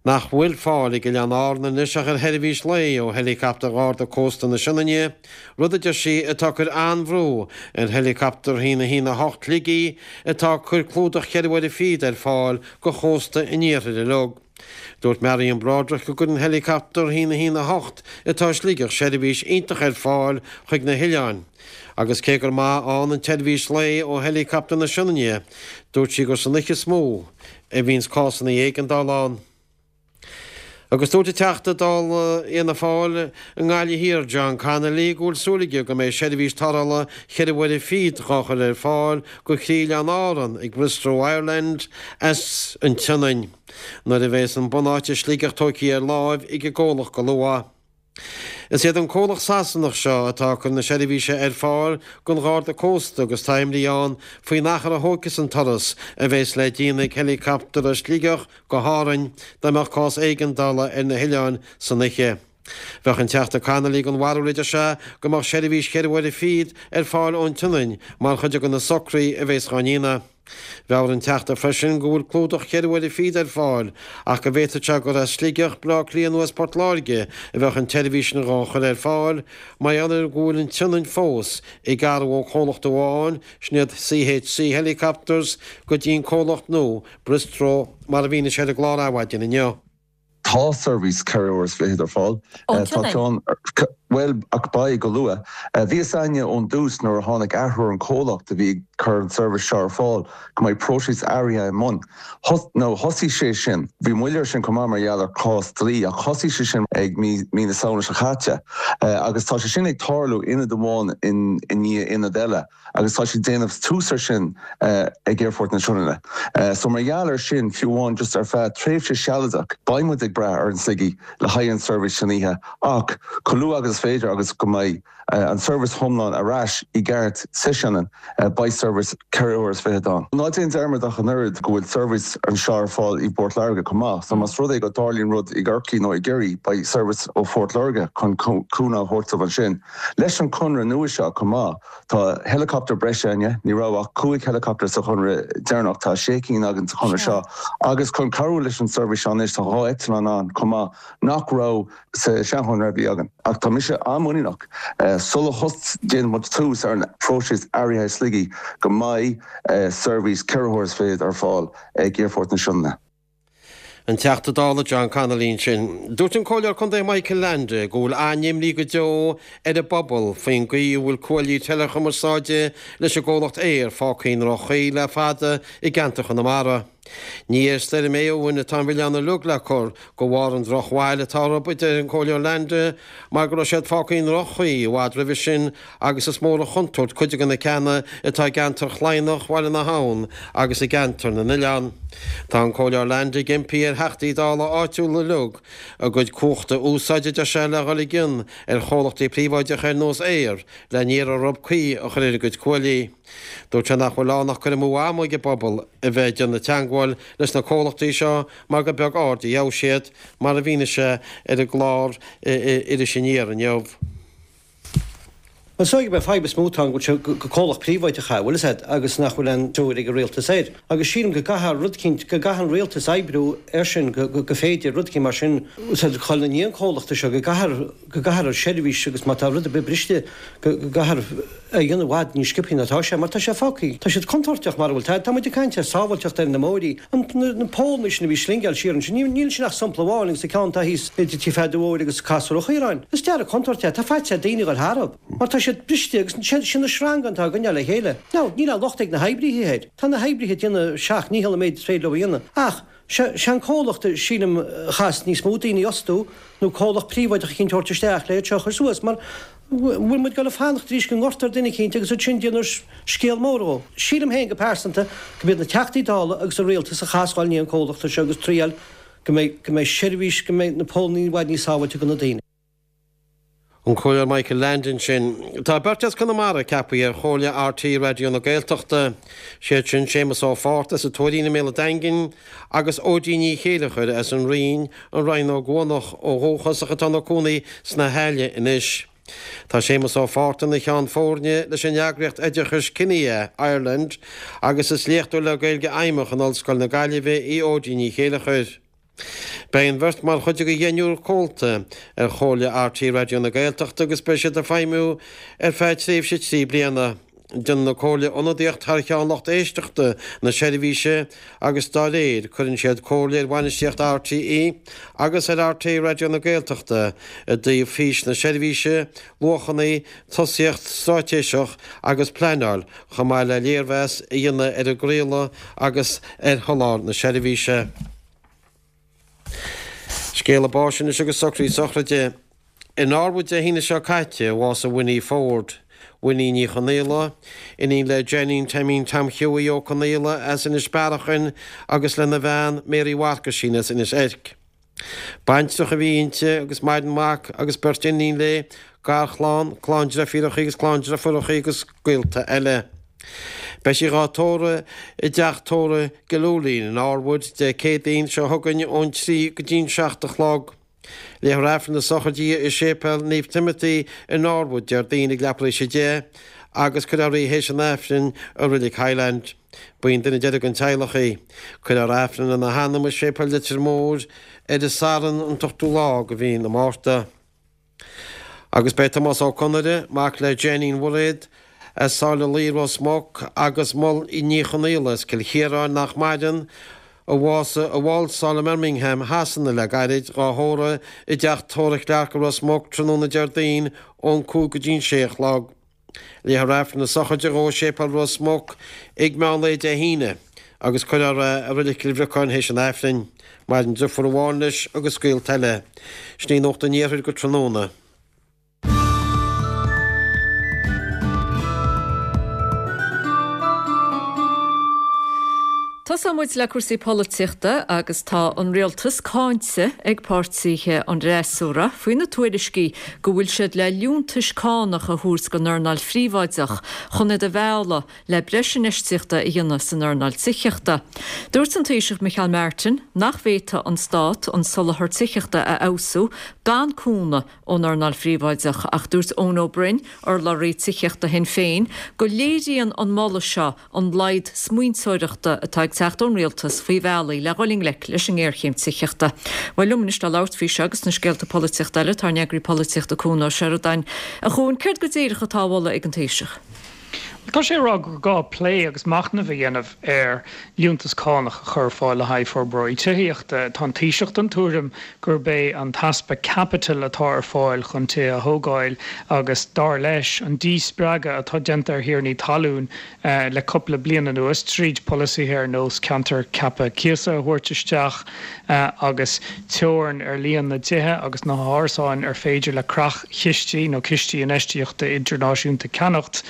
nach bhfuil fáil ag Oileáin Árann anois ach ar sheirbhís lae ó heileacaptar Gharda Cósta na Sionainne, rud a deir sí atá ag cur an-bhrú ar heileacaptar 1 1 8 Shligigh atá ag cur clúdach cheithre uaire fichead ar fáil go chósta an iarthair uilig. Dúirt Marion Broderick go gcuireann heileacaptar 1 1 8 atá i Sligeach seirbhís iontach ar fáil chuig na hoileáin agus cé gur maith ann an tseirbhís lae ó heileacaptar na Sionainne, dúirt sí gur san oíche is mó a bhíonns cásanna éigeandála ann. Agus dúirt an Teachta Dála Fhianna Fáil i nGaillimh Thiar, John Connolly, go bhfuil súil aige go mbeidh seirbhís tarrthála cheithre uaire fichead dhá chur ar fáil go chroí-oileán Árann ag Bristow Ireland as an tSionainn nuair a bheas an bunáit i Sligeach tógtha ar láimh ag an gcomhlacht go luath. Is iad an comhlacht Sasanach seo atá ag cur na seirbhíse ar fáil don Gharda Cósta agus tá imní ann faoin achar a thógfas an turas a bheas le déanamh ag heileacaptar as Sligeach go hÁrainn dá mbeadh cás éigeandála ar na hoileáin san oíche. Bheadh an Teachta Connolly den bharúil, a deir sé, go mbeadh seirbhís cheithre uaire fichead ar fáil ón tSionainn mar chuid de na socruithe a bheas dhá ndéanamh. Mheabhraigh an Teachta freisin go bhfuil clúdach cheithre uaire fichead ar fáil ach go bhféadfadh sé gur as Sligeach, Baile Átha Cliath nó as Port Láirge a bheadh an tseirbhís sin dhá chur ar fáil mar gheall ar go bhfuil an tSionainn fós ag athrú ó chomhlacht amháin, sin iad CHC Helicopters, go dtí an comhlacht nua, Bristow, mar a mhínigh sé ar an gclár Adhmhaidin inniu. Tá seirbhís 4 uair is fichead ar fáil. Ón Tá tSionainn? ceann, bhuel, ach beidh go luath. Bhí fhios a'inne ón dtús nuair a tháinig athrú ar an chomhlacht a bhí ag cur an seirbhís seo ar fáil go mbeidh próiseas athraithe i mbun. Nó thosaigh sé sin, bhí moill air sin chomh maith mar gheall ar chás dlí, ach thosaigh sé sin ag mí mí na Samhna seo caite. Agus tá sé sin ag tarlú ionad amháin i ndiaidh ionad eile. agus tá siad ag déanamh tús ar sin ag Aerfort na Sionainne. So mar gheall ar sin, fiú amháin just ar feadh tréimhse sealadach, beidh muid ag brath ar an Sligigh le haghaidh an seirbhís san oíche ach chomh luath agus is féidir agus go mbeidh an seirbhís iomlán ar ais i gceart sa Sionainn, beidh seirbhís 4 uair is fichead ann. Ná déan dearmad ach an oiread go bhfuil seirbhís anseo ar fáil i bPort Láirge chomh maith, so más rud é go dtarlaíonn rud i gCorcaigh nó i gCiarraí, beidh seirbhís ó Phort Láirge chun cúnamh a thabhairt dóibh ansin. Leis an conradh nua seo chomh maith, Tá helicopter breise againne, ní raibh ach 5 helicopter sa chonradh deireanach, tá 6 cinn againn sa chonradh seo agus chun cabhrú leis an seirbhís seo anois tá 2 eitleán ann chomh maith nach raibh sa seanchonradh a bhí againn. Ach tá mise an-mhuiníneach sula déanann muid tús ar an phróiseas athraithe i Sligigh go mbeidh seirbhís 4 huaire is fichead ar fáil ag Aerfort na Sionainne. An Teachta Dála John Connolly ansin. Dúirt an Comhairleoir Contae Michael Leainde go bhfuil an-imní go deo ar an bpobal faoin gcaoi a bhfuil cuaillí teileachumarsáide leis an gcomhlacht Eir fágtha i ndroch-chaoi le fada i gceantar Chonamara. Ní ar Stoirm Éowyn atá an milleán uilig le cur de bharr an drochbhail atá orthu, a deir an Comhairleoir Leainde, mar go raibh siad fágtha i ndroch-chaoi i bhfad roimhe sin agus is mór an chontúirt cuid de na ceanna atá i gceantar Chladhnach, Bhaile na hAbhann agus i gceantar na nOileán. Tá an Comhairleoir Leainde ag impí ar Theachtaí Dála áitiúla uilig a gcuid cumhachta a úsáid, a deir sé, le dhul i gcion ar chomhlachtaí príobháideacha ar nós Eir le n-iarraidh orthu caoi a chur ar a gcuid cuaillí. Dúirt sé nach bhfuil ann ach cur amú ama ag an bpobal a bheith ag déanamh teagmháil leis na comhlachtaí seo mar gur beag aird a gheobhaidh siad, mar a mhínigh sé ar an gclár Iris Aniar inniu. Is dóigh gurb é an fadhb is mó atá ann go bhfuil sé gur comhlacht príobháideach é, bhfuil fhios a'd, agus nach bhfuil aon stiúir ag an rialtas air. Agus sílim go gcaithfear rud eicínt, go gcaithfidh an rialtas oibriú air sin go, go féidir rud eicínt mar sin, bhfuil fhios a'd, dhul i ndiaidh an chomhlachta seo, go gcaithfear, go gcaithfear an seirbhís agus má tá rud ar bith briste go, go gcaithfear é a dhéanamh i bhfad níos sciobthaí ná atá sé mar tá sé fágtha, tá siad contúirteach mar a bhfuil, tá, tá muid ag caint ar sábháilteacht ar na mbóithrí. An, na, na pólanna sin a bhí slingeáil siar ansin, níl, níl sin ach sampla amháin agus an ceann atá thíos idir Tigh Pheaidí Mhóir agus Casúr an Chaoráin. Is dearg contúirt é, tá faitíos ar daoine a ghoil tharthu mar tá siad briste agus sin, sin na sreangáin atá á gcoinneáil le chéile. Now, níl aon locht ag na hoibrithe air. Tá na hoibrithe ag déanamh a seacht ndícheall an méid is féidir leo a dhéanamh ach sé, sé an comhlacht sílim a chaithfeas níos mó daoine a fhostú nó comhlacht príobháideach eicínt a thabhairt isteach le iad seo a chur suas mar bhfuil muid ag dul a fanacht arís go ngortófar duine eicínt agus ansin déanfar scéal mór dhó. Sílim féin go pearsanta go mb'iad na Teachtaí Dála agus an Rialtas a chaithfeas dhul i ndiaidh an comhlachta seo agus triail go mbeidh, go mbeidh seirbhís, go mbeidh na pólannaí i bhfad níos sábháilte do na daoine. An Comhairleoir Michael Leainde ansin. Tá beirt as Conamara ceaptha ar Chomhairle RTÉ Raidió na Gaeltachta. Siad sin Séamus Ó Fátharta as an Tuairín i mBéal an Daingin agus Óidín Ní Chéileachair as an Rinn, an Rinn Ó gCuanach ó dhúchas ach atá ina cónaí sna hAille anois. Tá Séamus Ó Fátharta ina cheann foirne leis an eagraíocht oideachais Kinia Ireland agus is léachtóir le Gaeilge Fheidhmeach in Ollscoil na Gaillimhe í Óidín Ní Chéileachair. Beidh an bheirt mar chuid de dheichniúr comhalta ar Chomhairle RTÉ Raidió na Gaeltachta agus beidh siad ag feidhmiú ar feadh tréimhse 3 bliana. Déanann an Comhairle ionadaíocht thar cheann lucht éisteachta na seirbhíse agus dá réir cuireann siad comhairle ar bhainistíocht RTÉ agus ar RTÉ Raidió na Gaeltachta i dtaobh fís na seirbhíse, luachanna, tosaíocht straitéiseach agus pleanáil chomh maith le léirmheas a dhéanamh ar an gcraoladh agus ar sholáthar na seirbhíse. Scéala báis anois agus socruithe sochraide. I Norwood Dé hAoine seo caite a bhásaigh Winnie Ford, Winnie Ní Chonaola, iníon le Jenny Taimín Tom Hughie Ó Conaola as Inis Bearachain agus lena bhean Mary Mharcaisín as Inis Eirc. Baintreach a bhí inti agus maireann mac agus beirt iníon léi, garchlann, clann deirfíreacha agus clann deirfiúracha agus gaolta eile. Beidh sí dhá tórramh i dteach tórraimh Gillooly i Norwood Dé Céadaoin seo chugainn ón 3 go dtí'n 7 a chlog. Léifear Aifreann na sochraide di i Séipéal Naomh Timothy i Norwood Déardaoin ag leathuair tar éis 10 agus cuirfear í théis an Aifrinn i Reilig Highland. Ba í an duine deiridh den teaghlach í. Cuirfear Aifreann lena hanam i Séipéal Leitir Móir ar an Satharn an t-ochtú lá de mhí na Márta. Agus beidh Tomás Ó Conaire, mac le Jainín Mhuiréad, as Sáile Laoi, Ros Muc, agus Moll Ní Chonaola as Cill Chiaráin, nach maireann, a bhásaigh i Walsall i mBirmingham, Shasana le gairid, dhá thórramh i dteach tórraimh Clarke i Ros Muc tráthnóna Déardaoin ón 5 go dtí'n 6 a chlog. Léifear Aifreann na sochraide dhó i Séipéal Ros Muc ag meán lae Dé hAoine agus cuirfear é i Reilig Chill Bhriocáin théis an Aifrinn. Maireann driofúr amháin leis agus gaolta eile. Sin í Nuacht an Iarthair go tráthnóna. Tosóidh muid le cúrsaí polaitíochta agus tá an rialtas cáinte ag páirtithe an fhreasúra faoi na tuairiscí go bhfuil siad le liúntais cánach a thabhairt don earnáil phríobháideach chun iad a mhealladh le breis infheistíochta a dhéanamh san earnáil tithíochta. Dúirt an Taoiseach Micheál Martin nach bhféadfadh an Stát an soláthar tithíochta a fheabhsú gan cúnamh ón earnáil phríobháideach ach dúirt Eoin Ó Broin, urlabhraí tithíochta Shinn Féin, go léiríonn an moladh seo an laghad smaointeoireachta atá ag teacht ón rialtas faoi bhealaí le dhul i ngleic leis an ngéarchéim tithíochta. Bhuel, liom anois le labhairt faoi seo agus na scéalta polaitíochta eile tá ár n-eagraí polaitíochta Cuan Ó Seireadáin. A Chuain, céard go díreach atá á mholadh ag an Taoiseach? Bhuel, tá sé ag rá gur gá plé agus machnamh a dhéanamh ar liúntas cánach a chur ar fáil le haghaidh forbróirí tithíochta. Tá an Taoiseach den tuairim gurb é an t-easpa caipitil atá ar fáil chun tithe a thógáil agus, dar leis, an díspreagadh atá déanta ar thiarnaí talún le cúpla bliain anuas tríd polasaithe ar nós ceantar ceaptha cíosa a thabhairt isteach agus teorainn ar líon na dtithe agus na hárasáin ar féidir le creach-chistí nó cistí infheistíochta idirnáisiúnta ceannacht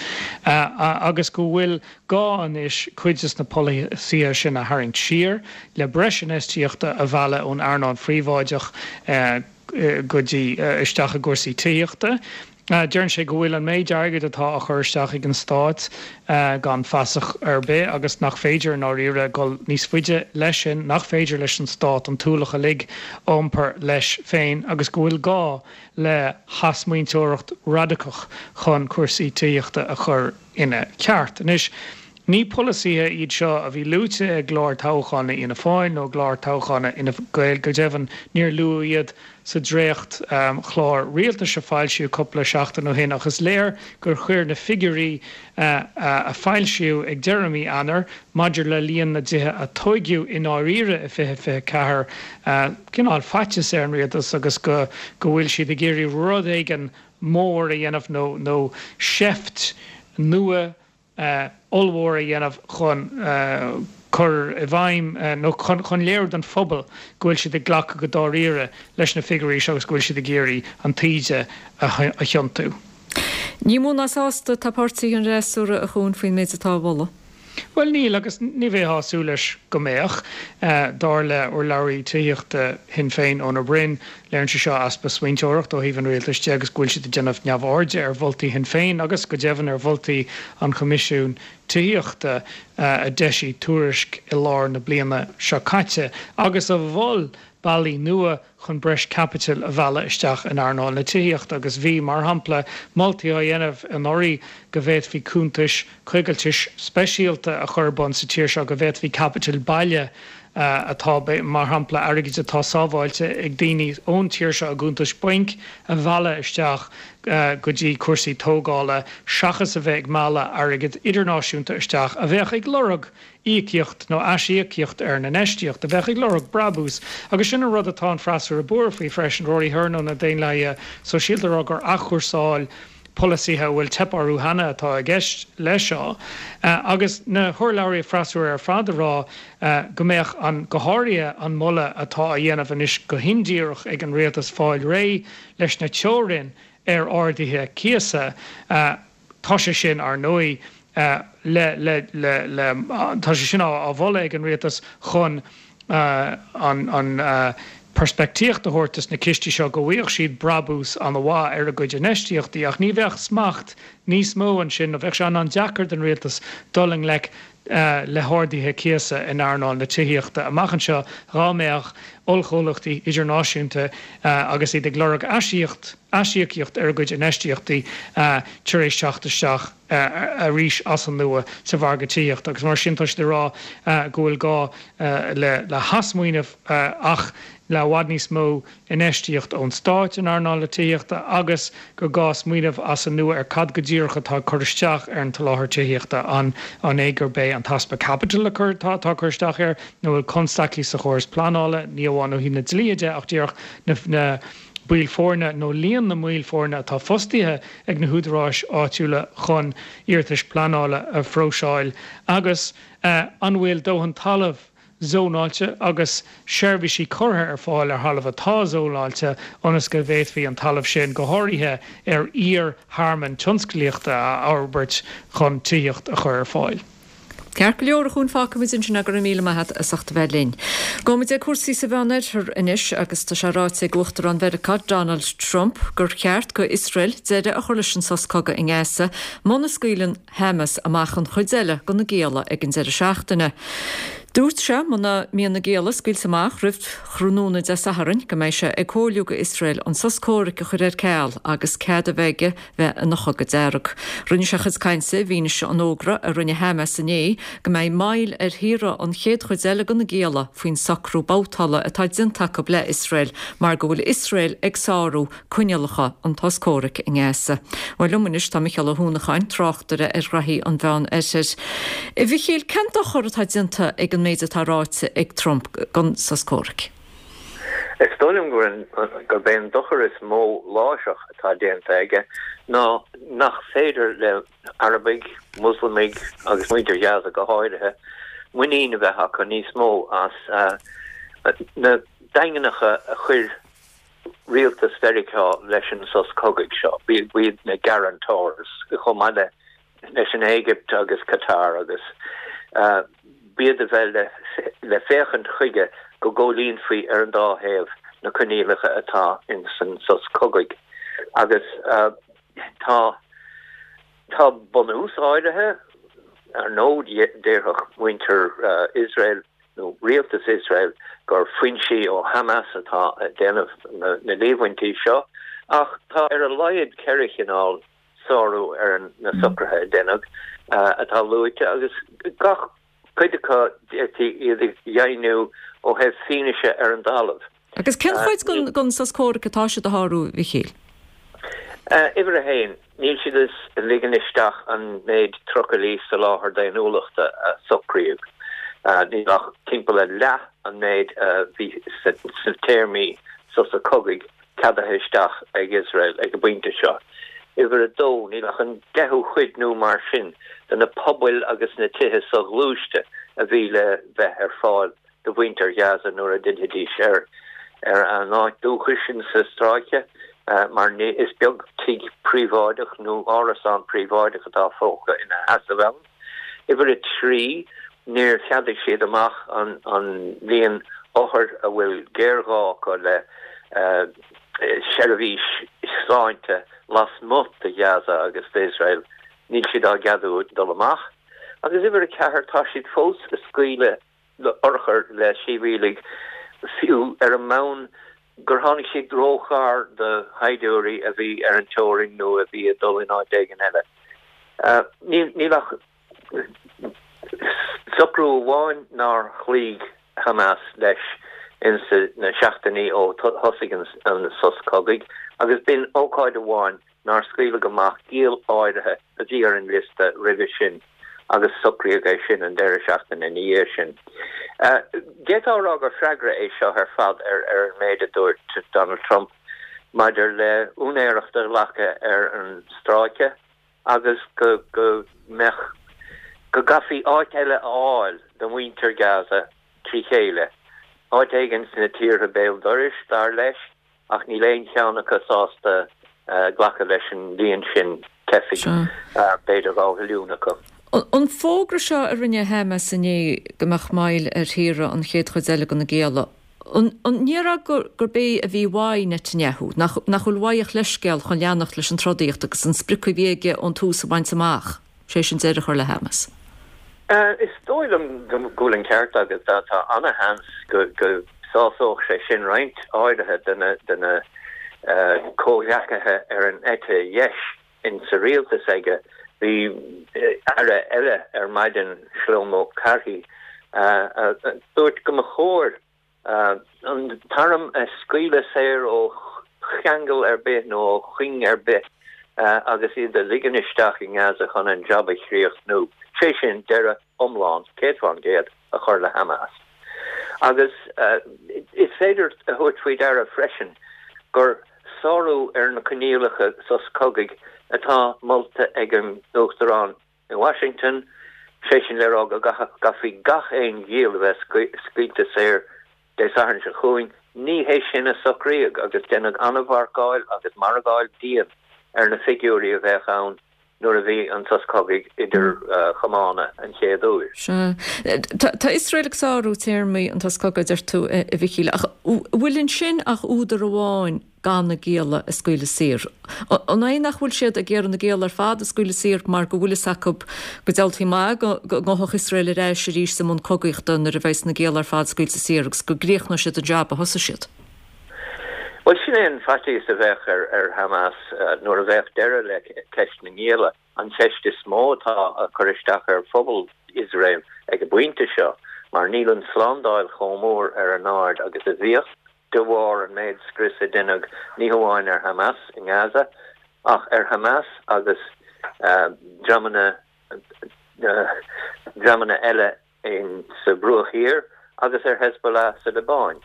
agus go bhfuil gá anois cuid des na polasaithe sin a tharraingt siar le breis infheistíochta a mhealladh ón earnáil phríobháideach go dtí isteach i gcúrsaí tithíochta. Deireann sé go bhfuil an méid airgid atá á chur isteach ag an stát gan fasach ar bith agus nach féidir i ndáiríre dul níos faide leis sin, nach féidir leis an stát an t-ualach uilig a iompar leis féin agus go bhfuil gá le hathsmaointeoireacht radacach chun cúrsaí tithíochta a chur ina cheart. Anois, ní polasaithe iad seo a bhí luaite i gclár toghcháin Fhianna Fáil nó i gclár toghcháin Fhine Gael, go deimhin níor luadh iad sa dréacht-chlár rialtais a foilsíodh cúpla seachtain ó shin ach is léir gur chuir na figiúirí a foilsíodh ag deireadh mí Eanáir maidir le líon na dtithe a tóigeadh i ndáiríre i 2024 cineál faitíos ar an rialtas agus go bhfuil siad ag iarraidh rud éigin mór a dhéanamh nó seift nua ollmhór a dhéanamh chun cur i bhfeidhm nó chun léiriú don phobal go bhfuil siad ag glacadh go dáiríre leis na figiúirí seo agus go bhfuil siad ag iarraidh an taoide a thiontú. Ní mó ná sásta atá páirtithe an fhreasúra, a Chuain, faoin méid atá á mholadh. Bhuel, níl, agus ní bheifeá ag súil leis go mbeadh. Dar le urlabhraí tithíochta Shinn Féin, Eoin Ó Broin, léiríonn sé seo easpa smaointeoireachta ó thaobh an rialtais de agus go bhfuil siad ag déanamh neamhairde ar mholtaí Shinn Féin agus, go deimhin, ar mholtaí an Choimisiúin Tithíochta a d'eisigh tuairisc i lár na bliana seo caite agus a mhol bealaí nua chun breis caipitil a mhealladh isteach in earnáil na tithíochta agus bhí, mar shampla, moltaí á dhéanamh anuraidh go bhféadfaí cuntais coigiltis speisialta a chur ar bun sa tír seo, go bhféadfaí caipiteal baile atá, mar shampla, airgead atá sábháilte ag daoine ón tír seo i gcuntais bainc, a mhealladh isteach go dtí cúrsaí tógála seachas a bheith ag mealladh airgead idirnáisiúnta isteach a bheadh ag lorg íocaíocht nó aisíocaíocht ar an infheistíocht, a bheadh ag lorg brabús. Agus sin an rud atá an freasúra buartha faoi freisin, Rory Hearne ó na Daonlathaithe Sóisialta ag rá gur athchúrsáil polasaithe a bhfuil teip orthu cheana atá i gceist leis seo, agus na hurlabhraithe freasúra ar fad ag rá go mbeadh an, go háirithe an moladh atá á dhéanamh anois go hindíreach ag an rialtas fáil réidh leis na teorainn ar arduithe cíosa, tá sé sin, ar ndóigh, le, le, le, le, tá sé sin á mholadh ag an rialtas chun an, an. peirspictíocht a thabhairt dos na cistí seo go bhfaigheadh siad brabús an-mhaith ar a gcuid infheistíochtaí ach ní bheadh smacht níos mó ansin nó bheadh sé an-deacair don rialtas dul i ngleic le harduithe cíosa in earnáil na tithíochta amach anseo dhá mbeadh ollchomhlachtaí idirnáisiúnta agus iad ag lorg aisíocaíocht ar a gcuid infheistíochtaí tar éis teacht isteach arís as an nua sa mhargadh tithíochta agus mar sin tá siad ag rá go bhfuil gá le hathsmaoineamh ach le i bhfad níos mó infheistíocht ón stáit in earnáil na tithíochta agus gur gá smaoineamh as an nua ar cad go díreach atá ag cur isteach ar an tsoláthar tithíochta, an é gurb é an t-easpa caipitil atá ag cur isteach air nó an bhfuil constaicí sa chóras pleanála, ní amháin ó thaobh na dlíthe de ach díreach na baill foirne nó líon na mbaill foirne atá fostaithe ag na húdaráis áitiúla chun iarratais pleanála a phróiseáil agus an bhfuil dóthain talaimh zónáilte agus seirbhísí curtha ar fáil ar thalamh atá zónáilte ionas go bhféadfaí an talamh sin, go háirithe ar iar-thearmainn tionsclaíochta, a fhorbairt chun tithíocht a chur ar fáil. Ceart go leor, a Chuain, fágfaimid ansin é, go raibh míle maith agat as ucht a bheith linn. Gabhfaimid ag cúrsaí sa Mheánoirthear anois agus tá sé ráite ag Uachtarán Mheiriceá Donald Trump gur cheart go Iosrael deireadh a chur leis an sos cogaidh i nGaza muna scaoileann Hamas amach an chuid eile de na gialla ag an deireadh seachtaine. Dúirt sé muna mbíonn na gialla scaoilte amach roimh thráthnóna Dé Sathairn go mbeidh sé ag comhairliú go Iosrael an sos comhraic a chur ar ceal agus cead a bheith aige bheith ina chogadh dearg. Rinne sé a chuid cainte i bhfianaise an fhógra a rinne Hamas inné go mbeidh moill ar shaoradh an chéad chuid eile de na gialla faoin socrú babhtála atá déanta acu le Iosrael mar go bhfuil Iosrael ag sárú coinníollacha an tsos comhraic i nGaza. Bhuel, liom anois tá Micheál Ó hUanacháin, tráchtaire ar ghraithí an Mheán Oirthir. A Mhichíl, cén dochar atá déanta ag an méid atá ráite ag Trump don sos comhraic? Is dóigh liom gurb é an dochar is mó láithreach atá déanta aige ná nach féidir le Arabaigh, Muslamaigh agus muintir Ghaza go háirithe, muinín a bheith acu níos mó as na daingneacha a chuir rialtas Mheiriceá leis an sos cogaidh seo. B'iad na guarantors chomh maith le leis an Éigipt agus Qatar agus b'iad a bheadh le féachaint chuige go gcomhlíonfaí ar an dá thaobh na coinníollacha atá ins an sos cogaidh. Agus tá tá bunús áirithe, ar ndóigh, déarfadh muintir Iosrael, nó rialtas Iosrael gur foinsí ó Hamas atá ag déanamh na líomhaintí seo, ach tá ar a laghad 4 chineál sárú ar na socruithe a deineadh atá luaite agus gach cuid acu d'fhéadfaí iad a dheimhniú ó thaobh fianaise ar an dtalamh. Agus cén chuid den sos comhraic atá siad a shárú, a Mhichíl? Uimhir a haon, níl siad ag ligean isteach an méid trucailí soláthair daonnúlachta a socraíodh. Níl ach timpeall ar leath an méid a bhí sna téarmaí sosa cogaidh ceadaithe isteach ag Iosrael ag an bpointe seo. Uimhir a dó, níl ach an deichiú cuid nó mar sin de na pubaill agus na tithe soghluaiste a bhí le bheith ar fáil do mhuintir Ghaza nuair a d'fhillfidís ar ar a n-áit dúchais insa stráice, mar ní is beag tigh príobháideach nó árasán príobháideach atá fágtha ina sheasamh ann. Uimhir 3, níor cheadaigh siad amach an an líon othar a bhfuil géarghá acu le seirbhís sláinte lasmuigh de Ghaza agus d'Iosrael, níl siad á gceadú dul amach. Agus uimhir 4, tá siad fós ag scaoileadh urchar le sibhialaigh, fiú ar an mbonn gur tháinig siad róghar do shaighdiúirí a bhí ar an teorainn nó a bhí ag dul in áit éigin eile. Níl ach socrú amháin nár chloígh Hamas leis ins na seachtainí ó thosaigh an sos cogaidh agus b'in ócáid amháin nár scaoileadh amach giall áirithe a bhí ar an liosta roimhe sin agus socraíodh é sin an deireadh seachtaine ina dhiaidh sin. D'fhéadfá a rá gur freagra é seo ar fad ar an méid a dúirt Donald Trump maidir le úinéireacht a ghlacadh ar an stráice agus go mbeadh, go gcaithfí áit eile a fháil do mhuintir Gaza trí chéile, áit éigin sna tíortha béal dorais, dar leis. ach níl aon cheann acu sásta glacadh leis an líon sin teifigh, b'fhéidir 2 mhilliún acu. An fógra seo a rinne Hamas inné go mbeadh moill ar shaoradh an chéad chuid eile de na gialla, An ndéarfá gurb é a bhí uaidh Netanyahu, nach bhfuil uaidh ach leithscéal chun leanacht leis an trodaíocht agus an sprioc a bhí aige ón tús a bhaint amach, sé sin deireadh a chur le Hamas? Is dóigh liom go bhfuil an ceart agat. Tá ana-sheans go sásódh sé sin roinnt áirithe de na comhghleacaithe ar an eite dheis insa rialtas aige. Bhí aire eile ar maidin, Shlomo Karhi, a dúirt go mba chóir an t-arm a scaoileadh saor ó cheangal ar bith nó ó chuing ar bith agus iad a ligean isteach i nGaza chun an jab a chríochnú, sé sin, deireadh iomlán, 100%, a chur le Hamas. Agus is féidir a thabhairt faoi deara freisin gur sárú ar na coinníollacha sos cogaidh atá molta ag an Uachtarán i Washington, sé sin le rá go gcaithfí gach aon ghiall a bheith scaoilte saor Dé Sathairn seo chugainn. Ní hé sin a socraíodh agus deineadh an-mharcáil agus margáil dian ar na figiúirí a bheadh ann nuair a bhí an sos cogaidh idir chamána an chéad uair. Sea. Tá Iosrael ag sárú téarmaí an tsos cogaidh, a deir tú, a Mhichíl, ach an bhfuil ansin ach údar amháin gan na gialla a scaoileadh saor? An é nach bhfuil siad ag iarraidh na gialla ar fad a scaoileadh saor mar go bhfuil fhios acu go diabhaltaí maith go ngabhfadh Iosrael ar ais arís i mbun cogaíochta nuair a bheas na gialla ar fad scaoilte saor agus go gcríochnóidh siad an jab a thosaigh siad? Bhuel, sin é an faitíos a bheadh ar Hamas nuair a bheadh deireadh le ceist na ngialla, an cheist is mó atá ag cur isteach ar phobal Iosrael ag an bpointe seo, mar níl an tslándáil chomh mór ar a n-aird agus a bhíodh de bharr an méid scrios a deineadh ní hamháin ar Hamas i nGaza ach ar Hamas agus dreamanna dreamanna eile in sa Bhruach Thiar agus ar Hezbollah sa Liobáin.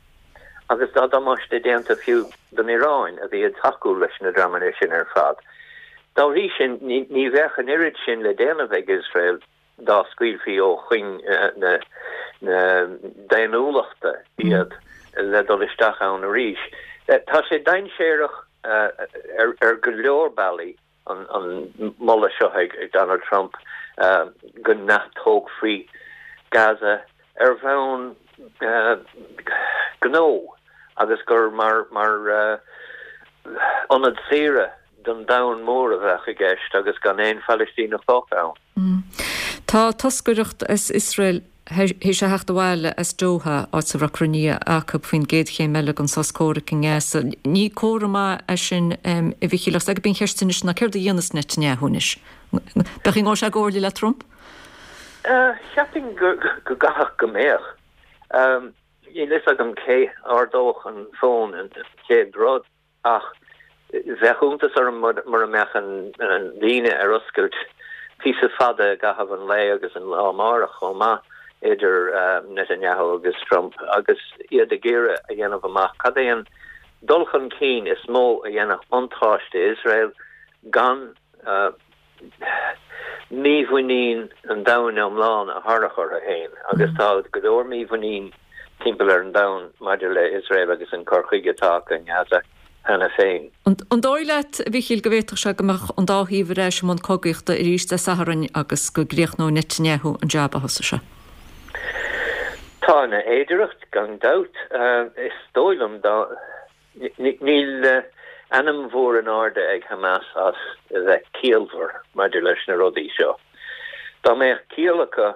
Agus tá damáiste déanta fiú don Iaráin a bhí ag tacú leis na dreamanna sin ar fad. Dá bhrí sin ní bheadh an oiread sin le déanamh ag Iosrael dá scaoilfí ó chuing na daonnúlachta iad le dul isteach ann arís. Tá sé dainséarach ar go leor bealaí an moladh seo ag Donald Trump go n-atógfaí Gaza ar bhonn gnó agus gur mar ionad saoire don domhan mór a bheadh i gceist agus gan aon Phalaistíneach fágtha ann. Tá toscaireacht as Iosrael théis a theacht abhaile as Doha, áit a raibh cruinnithe acu faoin gcéad chéim eile den sos comhraic i nGaza. Ní comhartha maith é sin, a Mhichíl, ach gurb í an cheist anois ná céard a dhéanfas Netanyahu anois? B'fhéidir go ngabhfaidh sé i gcomhairle le Trump? Cheapfainn go gcaithfeadh go mbeadh. Níl fhios agam cé a ardódh an fón an chéad rud. Ach bheadh iontas orm mura mbeadh an líne ar oscailt píosa fada i gcaitheamh an lae agus an lá amárach chomh maith idir Netanyahu agus Trump agus iad ag iarraidh a dhéanamh amach cad é an dul chun cinn is mó a dhéanfadh buntáiste Iosrael gan mímhuinín an domhain iomlán a tharrac orthu féin agus tá go leor mímhuinín timpeall ar an domhan maidir le Iosrael agus an cur chuige atá acu i nGaza cheana féin. An dóigh leat, a Mhichíl, go bhféadfadh sé go mbeadh an dá thaobh ar ais i mbun cogaíochta arís Dé Sathairn agus go gcríochnóidh Netanyahu an jab a thosaigh sé? Tá ina fhéidearthacht, gan dabht. Is dóigh liom dá. Níl ainm mhór in airde ag Hamas as a bheith ciallmhar maidir leis na rudaí seo. Dá mbeadh ciall acu,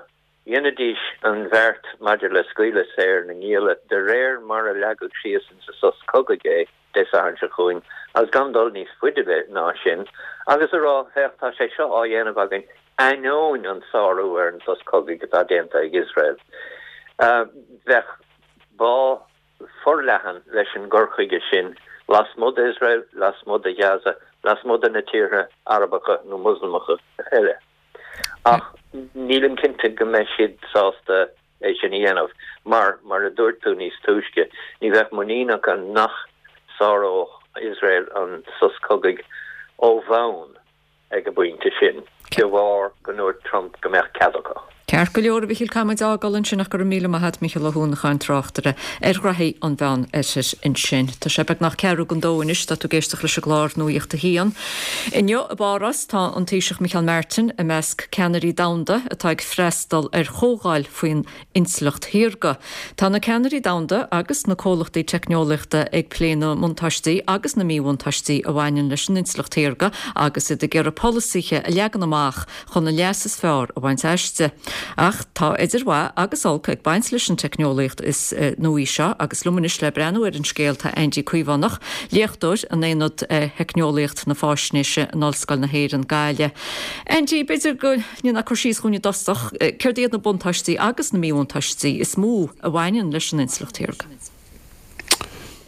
dhéanfaidís an bheart maidir le scaoileadh saor na ngialla de réir mar a leagadh síos insa sos cogaidh é Dé Sathairn seo chugainn agus gan dul níos faide ná sin agus a rá, féach, tá sé seo á dhéanamh againn ainneoin an sárú ar an sos cogaidh atá déanta ag Iosrael. Bheadh bá forleathan leis an gcur chuige sin lasmuigh d'Iosrael, lasmuigh de Ghaza, lasmuigh de na tíortha Arabacha nó Moslamacha eile. Ach nílim cinnte go mbeidh siad sásta é sin a dhéanamh mar, mar a dúirt tú níos túisce, ní bheadh muinín acu nach sáródh Iosrael an sos cogaidh ó bhonn. ag an bpointe sin, de bharr go ndúirt Trump go mbeadh cead acu. Ceart go leor, a Mhichíl, caithfidh muid a fhágáil ansin ach go raibh míle maith a't, Micheál Ó hUanacháin, tráchtaire ar ghraithí an Mheán Oirthir ansin. Tá sé beagnach ceathrú don dó anois, tá tú ag éisteacht leis an gclár Nuacht a hAon. Inniu i bPáras tá an Taoiseach Micheál Martin i measc ceannairí domhanda atá ag freastal ar chomhdháil faoin intleacht shaorga. Tá na ceannairí domhanda agus na comhlachtaí teicneolaíochta ag plé na mbuntáistí agus na míbhuntáistí a bhaineann leis an intleacht shaorga agus iad ag iarraidh polasaithe a leagan amach chun an leas is fearr a bhaint aisti. Ach tá idir mhaith agus olc ag baint leis an teicneolaíocht is nuaí seo agus liom anois le breathnú ar an scéal tá Aindí Caomhánach, léachtóir in Aonad Theicneolaíocht na Faisnéise in Ollscoil na hÉireann, Gaillimh. Aindí, b'fhéidir go ndéanfá cur síos dhúinn i dtosach, céard iad na buntáistí agus na míbhuntáistí is mó a bhaineann leis an intleacht shaorga?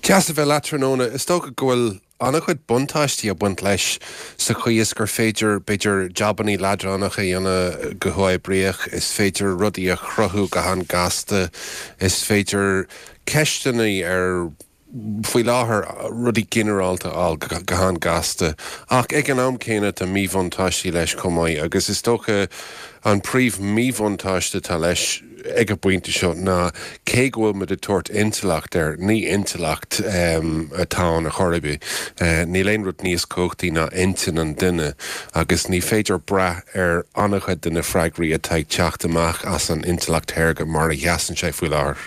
Deas a bheith leat tráthnóna. Is dócha go bhfuil an-chuid buntáistí ag baint leis sa chaoi is gur féidir, b'fhéidir, jabannaí leadránacha a dhéanamh go huathoibríoch, is féidir rudaí a chruthú go han-gasta, is féidir ceisteanna ar, faoi láthair, rudaí ginearálta a fháil go han-gasta. Ach ag an am céanna tá míbhuntáistí leis chomh maith agus is dócha an príomh míbhuntáiste atá leis ag an bpointe seo ná cé go bhfuil muid ag tabhairt intleacht air, ní intleacht atá ann ar chor ar bith. Níl aon rud níos cumhachtaí ná intinn an duine agus ní féidir brath ar an-chuid de na freagraí atá ag teacht amach as an intleacht shaorga mar a sheasann sé faoi láthair.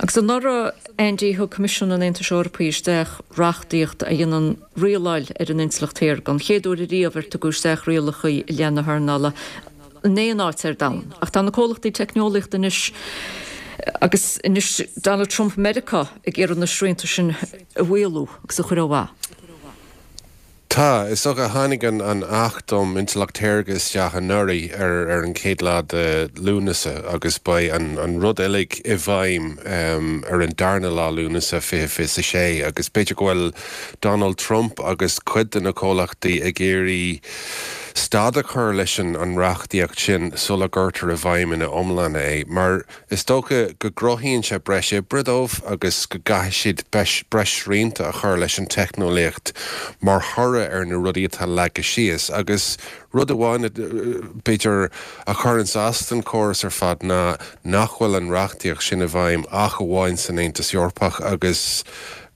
Agus anuraidh, Andy, thug Coimisiún an Aontais Eorpaigh isteach reachtaíocht a dhéanann rialáil ar an intleacht shaorga, an chéad uair ariamh ar tugadh isteach rialacha i leith na hearnála in aon áit ar domhan. Ach tá na comhlachtaí teicneolaíochta anois, agus anois Donald Trump Meiriceá, ag iarraidh na srianta sin a mhaolú agus a chur ó mhaith. Tá. Is dócha, tháinig an Acht um Intleacht Shaorga isteach anuraidh ar an chéad lá de Lúnasa agus beidh an rud uilig i bhfeidhm ar an darna lá Lúnasa 2026 agus b'fhéidir go bhfuil Donald Trump agus cuid de na comhlachtaí ag iarraidh stad a chur leis an reachtaíocht sin sula gcuirtear i bhfeidhm ina iomláine é mar Is dócha go gcruthaíonn sé breis oibre dóibh agus go gcaithfidh siad breis srianta a chur leis an teicneolaíocht mar thoradh ar na rudaí atá leagtha síos. Agus rud amháin, b'fhéidir, a chuireanns as don chóras ar fad ná nach bhfuil an reachtaíocht sin i bhfeidhm ach amháin san Aontas Eorpach agus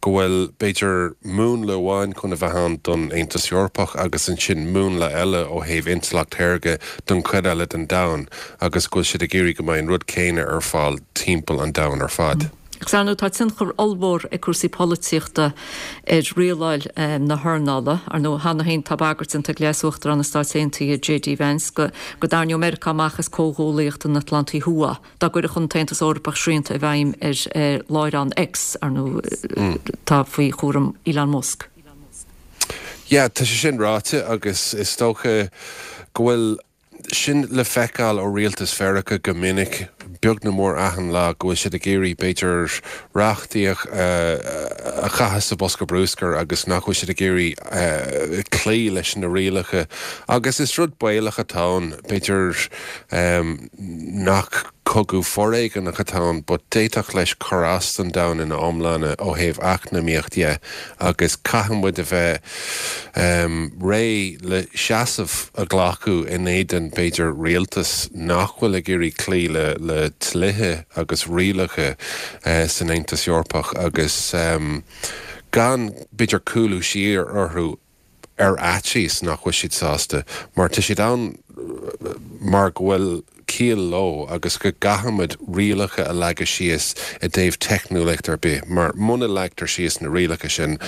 go bhfuil, b'fhéidir, múnla amháin chun a bheith ann don Aontas Eorpach agus ansin múnla eile ó thaobh intleacht shaorga don chuid eile den domhan agus go bhfuil siad ag iarraidh go mbeidh an rud céanna ar fáil timpeall an domhain ar fad. Agus ar ndóigh tá tionchar ollmhór ag cúrsaí polaitíochta ar rialáil na hearnála. Ar ndóigh cheana féin tá bagairt déanta ag Leas-Uachtarán na Stáit Aontaithe JD Vance go dtarraingeodh Meiriceá amach as Comhghuallaíocht an Atlantaigh Thuaidh. Dá gcuirfeadh an tAontas Eorpach srianta i bhfeidhm ar láithreán X, ar ndóigh, atá faoi chúram Elon Musk. Yeah, tá sé sin ráite agus is dócha go bhfuil sin le feiceáil ó rialtas Mheiriceá go minic, beag nó mór achan lá, go bhfuil siad ag iarraidh, b'fhéidir, reachtaíocht a chaitheamh sa bhosca bruscair agus nach bhfuil siad ag iarraidh cloí leis na rialacha. Agus is rud baolach atá ann, b'fhéidir, nach cogadh foréigeanach atá ann but d'fhéadfadh leis cur as don domhan ina iomláine ó thaobh eacnamaíocht dhe agus caithfidh muid a bheith réidh le seasamh a ghlacadh in éadan b'fhéidir rialtas nach bhfuil ag iarraidh cloí le le dlíthe agus rialacha san Aontas Eorpach agus gan b'fhéidir cúlú siar orthu ar fhaitíos nach bhfuil siad sásta, mar tá siad ann mar go bhfuil ciall leo agus go gcaithfimid rialacha a leagadh síos i dtaobh teicneolaíocht ar bith, mar muna leagtar síos na rialacha sin,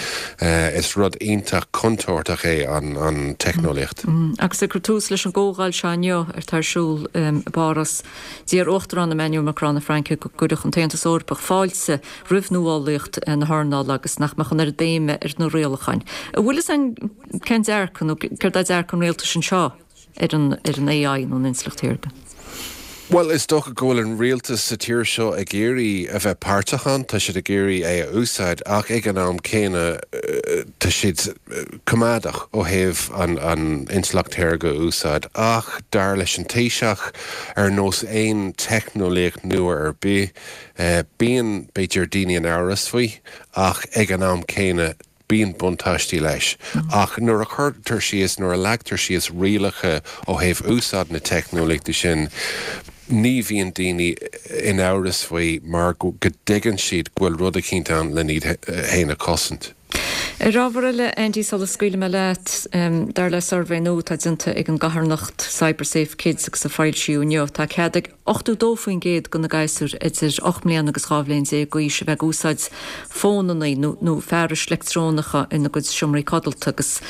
is rud iontach contúirteach é an teicneolaíocht. Agus ag cur tús leis an gcomhdháil seo inniu atá ar siúl i bPáras, d'iarr Uachtarán Emmanuel Macron na Fraince go gcuirfeadh an tAontas Eorpach fáilte roimh nuálaíocht na hearnála agus nach mbeadh an oiread béime ar na rialacháin. An bhfuil fhios a'inn cén dearcadh nó céard é dearcadh an rialtais anseo ar an ar an AI nó an intleacht shaorga? Bhuel, is dócha go bhfuil an rialtas sa tír seo ag iarraidh a bheith páirteach ann, tá siad ag iarraidh é a úsáid ach ag an am céanna tá siad coimeádach ó thaobh an an intleacht shaorga a úsáid. Ach dar leis an Taoiseach, ar nós aon teicneolaíocht nua ar bith, Bíonn, b'fhéidir, daoine in amhras faoi ach ag an am céanna bíonn buntáistí leis. Ach nuair a chuirtear síos, nuair a leagtar síos rialacha ó thaobh úsáid na teicneolaíochta sin, Ní bhíonn daoine in amhras faoi mar go dtuigeann siad go bhfuil rud eicínt ann len iad fhéin a chosaint. Ar ábhar eile, Andy, sula scaoilfidh mé leat, dar le suirbhé nua atá déanta ag an gcarthanacht CyberSafe Kids agus a foilsíodh inniu, tá cead ag 82% de na gasúir idir 8 mbliana agus 12 bhliain d'aois a bheith ag úsáid fónanna nó fearais leictreonacha ina gcuid seomraí codlata agus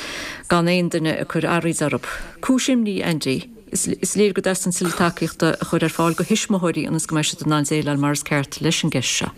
gan aon duine ag cur araoid orthu. Cúis imní, Andy. Is léir go dteastaíonn tuilleadh tacaíochta a chur ar fáil do thuismitheoirí ionas go mbeidh siad in ann déileáil mar is ceart leis an gceist seo.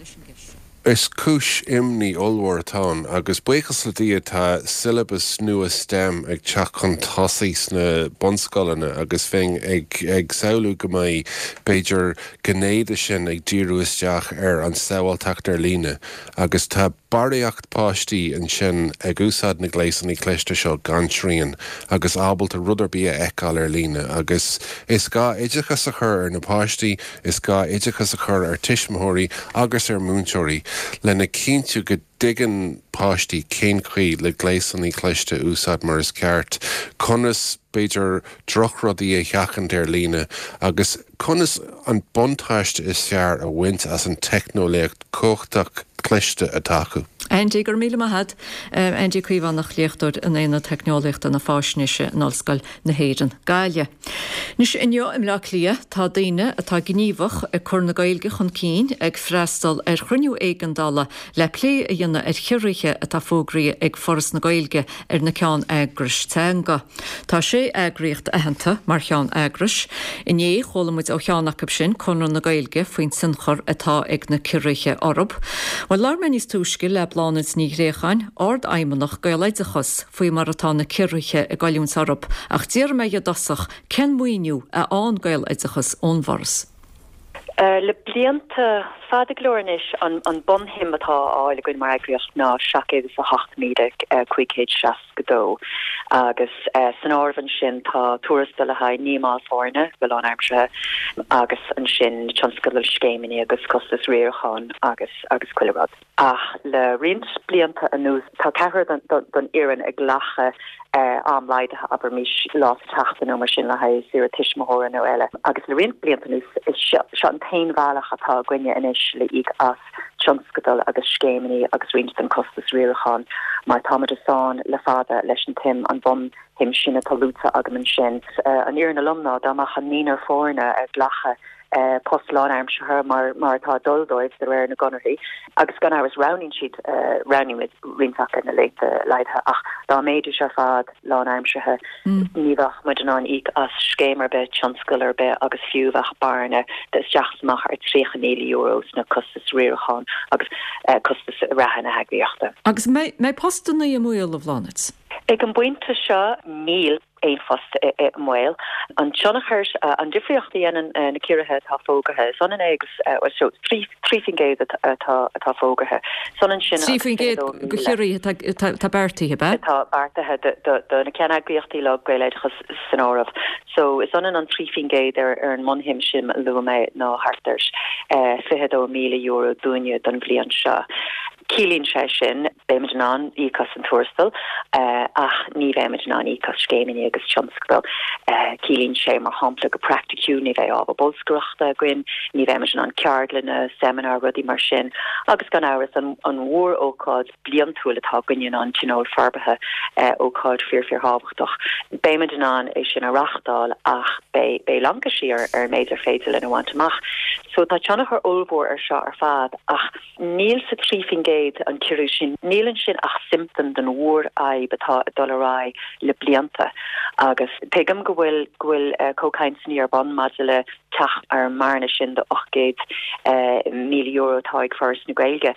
Is cúis imní ollmhór atá ann agus buíochas le Dia tá siollabas nua stem ag teacht chun tosaigh sna bunscoileanna agus bheinn ag ag samhlú go mbeidh b'fhéidir gné de sin ag díriú isteach ar an tsábháilteacht ar líne agus tá barraíocht páistí ansin ag úsáid na gléasanna cliste seo gan srian agus ábalta rud ar bith a fheiceáil ar líne agus is gá oideachas a chur ar na páistí, is gá oideachas a chur ar tuismitheoirí agus ar mhúinteoirí lena chinntiú go dtuigeann páistí cén chaoi le gléasanna cliste a úsáid mar is ceart, conas, b'fhéidir, drochrudaí a sheachaint ar líne agus conas an buntáiste is fearr a bhaint as an teicneolaíocht chumhachtach cliste atá acu. Andy, Go raibh míle maith agat. Andy Caomhánach, Léachtóir in Aonad Teicneolaíochta na Faisnéise in Ollscoil na hÉireann, Gaillimh. Anois, inniu i mBleá Cliath, tá daoine atá gníomhach ag cur na Gaeilge chun cinn ag freastal ar chruinniú éigeandála le plé a dhéanamh ar chiorruithe atá fógraithe ag Foras na Gaeilge ar na ceann-eagrais teanga. Tá sé eagraíocht aitheanta mar cheann-eagrais. Inné, chuala muid ó cheann acu sin, Conradh na Gaeilge, faoin tionchar atá ag na ciorruithe orthu. Bhuel, labhair mé níos túisce le Bláthnaid Ní Ghréacháin, Ard-Fheidhmeannach Gaeloideachas, faoi mar atá na ciorruithe ag goilliúint orthu, ach d'fhiafraigh mé dhi i dtosach cén maoiniú a fhaigheann Gaeloideachas ón bhForas. Le blianta fada go leor anois, an bunshuim atá á fháil againn mar eagraíocht ná 708,562 agus san áireamh ansin tá tuarastal le haghaidh 9 mball foirne go lánaimseartha agus ansin tionscadail, scéimeanna agus costais riaracháin agus agus chuile rud. Ach le roinnt blianta anuas, tá ceathrar den fhoireann ag glacadh am laghdaithe, abraimis, lá sa tseachtain nó mar sin le haghaidh saoire tuismitheora nó eile. Agus le roinnt blianta anuas, is seo an t-aon bhealach atá againne anois le íoc as tionscadail agus scéimeanna agus roinnt den costas riaracháin, mar táimid i sáinn le fada leis an tsuim, an bhunshuim sin atá luaite agam ansin. An fhírinne lom ná dá mbeadh an naonúr foirne ag glacadh post lánaimseartha mar mar atá ag dul dóibh de réir na gconarthaí agus gan amhras roghnaíonn siad, roghnaíonn roinnt acu na laethanta laghdaithe ach dá mbeidís ar fad lánaimseartha ní bheadh muid in ann íoc as scéim ar bith, tionscadal ar bith agus fiú bheadh bearna de isteach is amach ar €30,000 sna costais riaracháin agus costais reatha na heagraíochta. Agus an mbeidh postanna i mbaol, a Bhláthnaid? Ag an bpointe seo níl. aon phost i mbaol. An tionchar, an difríocht a dhéanann na ciorruithe atá fógartha, is ionann é agus, bhuel, so, 3% atá atá fógartha. Is ionann sin agus 3% de chiorruithe atá beartaithe, ab ea? Atá beartaithe do na ceanneagraíochtaí uilig, Gaeloideachas san áireamh. So, is ionann an 3% ar ar an mbunshuim sin a luaigh mé ná thart ar €22,000 dúinne don bhliain seo. Ciallaíonn sé sin, beimid in ann íoc as an tuarastal ach ní bheimid in ann íoc as scéimeanna agus tionscadail. Ciallaíonn sé, mar shampla, go praiticiúil, ní bheidh ábhar bolscaireachta againn, ní bheimid in ann ceardlanna, seimineáir, rudaí mar sin. Agus gan amhras, an mhór-ócáid bliantúil atá againne ná an Tionól Forbartha, ócáid fíor fíor-thábhachtach. Beimid in ann é sin a reáchtáil ach beidh laincisí ar an méid ar féidir linn a bhaint amach. So tá tionchar ollmhór ar seo ar fad ach. Níl sa 3%, an ciorrú sin, níl ansin ach siomptóm den mhórfhadhb atá ag dul ar aghaidh le blianta. Agus tuigim go bhfuil, go bhfuil comhchainteanna ar bun maidir le teacht ar an mbearna sin de €800,000 atá ag Foras na Gaeilge.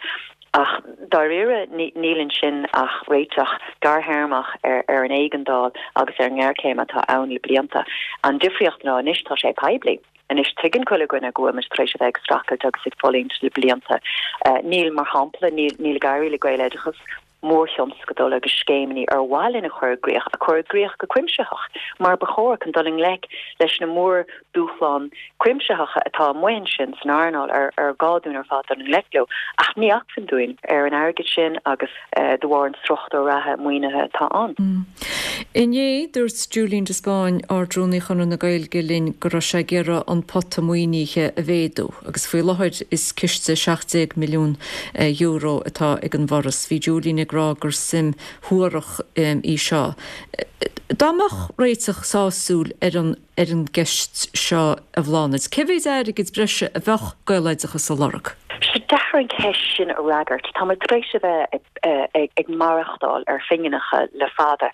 Ach dáiríre, níl ansin ach réiteach gearrthéarmach ar an éigeandáil agus ar an ngéarchéim atá ann le blianta. An difríocht ná anois tá sé poiblí. Anois tuigeann chuile dhuine go bhfuil muid tar éis a bheith ag streachailt agus ag fulaingt le blianta. Níl, mar shampla, níl ag éirí le Gaeloideachas. mórthionscadail agus scéimeanna ar mhaith linn a chur i gcrích, a chur i gcrích go cuimsitheach, mar ba chóir, chun dul i ngleic leis na mórdhúshláin chuimsitheacha atá amuigh ansin san earnáil ar ar gá dúinn ar fad dul i ngleic leo. Ach ní acmhainn dúinn ar an airgead sin agus de bharr an struchtúr reatha maoinithe atá ann. Inné, dúirt Julian de Spáinn, Ard-Rúnaí Chonradh na Gaeilge linn go raibh sé ag iarraidh an pota maoinithe a mhéadú agus faoi láthair is ciste €17 milliún atá ag an bhForas. Bhí Julian ag rá gur suim shuarach í seo. Dá mbeadh réiteach sásúil ar an ar an gceist seo, a Bhláthnaid, cé mhéid airgid breise a bheadh Gaeloideachas a lorg? Tá sé deacair an cheist sin a fhreagairt. Tá muid tar éis a bheith ag maireachtáil ar phingineacha le fada.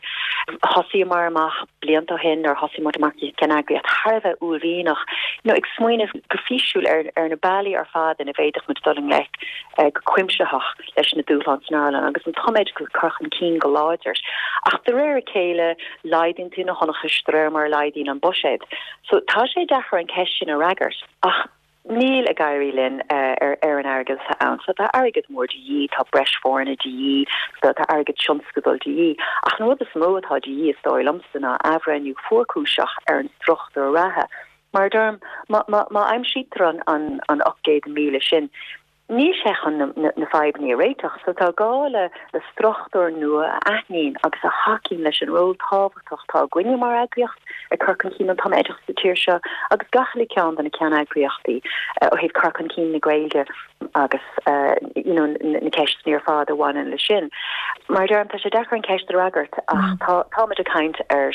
Thosaíomar amach blianta ó shin, nuair a thosaigh muid mar cheanneagraíocht, thar a bheith uaillmhianach, you know, ag smaoineamh go físiúil ar ar na bealaí ar fad ina bhféadfadh muid dul i ngleic go cuimsitheach leis na dúshláin san earnáil agus an tumoideachas a chur chun cinn go láidir. Ach de réir a chéile, laghdaíonn tú na hionchais de réir mar a laghdaíonn an buiséad. So tá sé deacair an cheist sin a fhreagairt. Ach níl ag éirí linn ar ar an airgead atá ann. So tá airgead mór de dhíth, tá breis foirne de dhíth, tá airgead tionscadail de dhíth. Ach an rud is mó atá de dhíth, is dóigh liomsa, ná athbhreithniú fuarchúiseach ar an struchtúr reatha. Mar a deirim, má má má aimsítear an an an 800,000 sin, Níl sé chun na fadhbanna a réiteach, so tá gá le le struchtúr nua a aithníonn agus a thacaíonn leis an ról tábhachtach atá againne mar eagraíocht ag cur chun cinn an tumoideachais sa tír seo agus gach uile ceann de na ceanneagraíochtaí ó thaobh cur chun cinn na Gaeilge agus you know na ceisteanna ar fad a bhaineann leis sin. Mar a deirim, tá sé deacair an ceist a fhreagairt ach tá táimid ag caint ar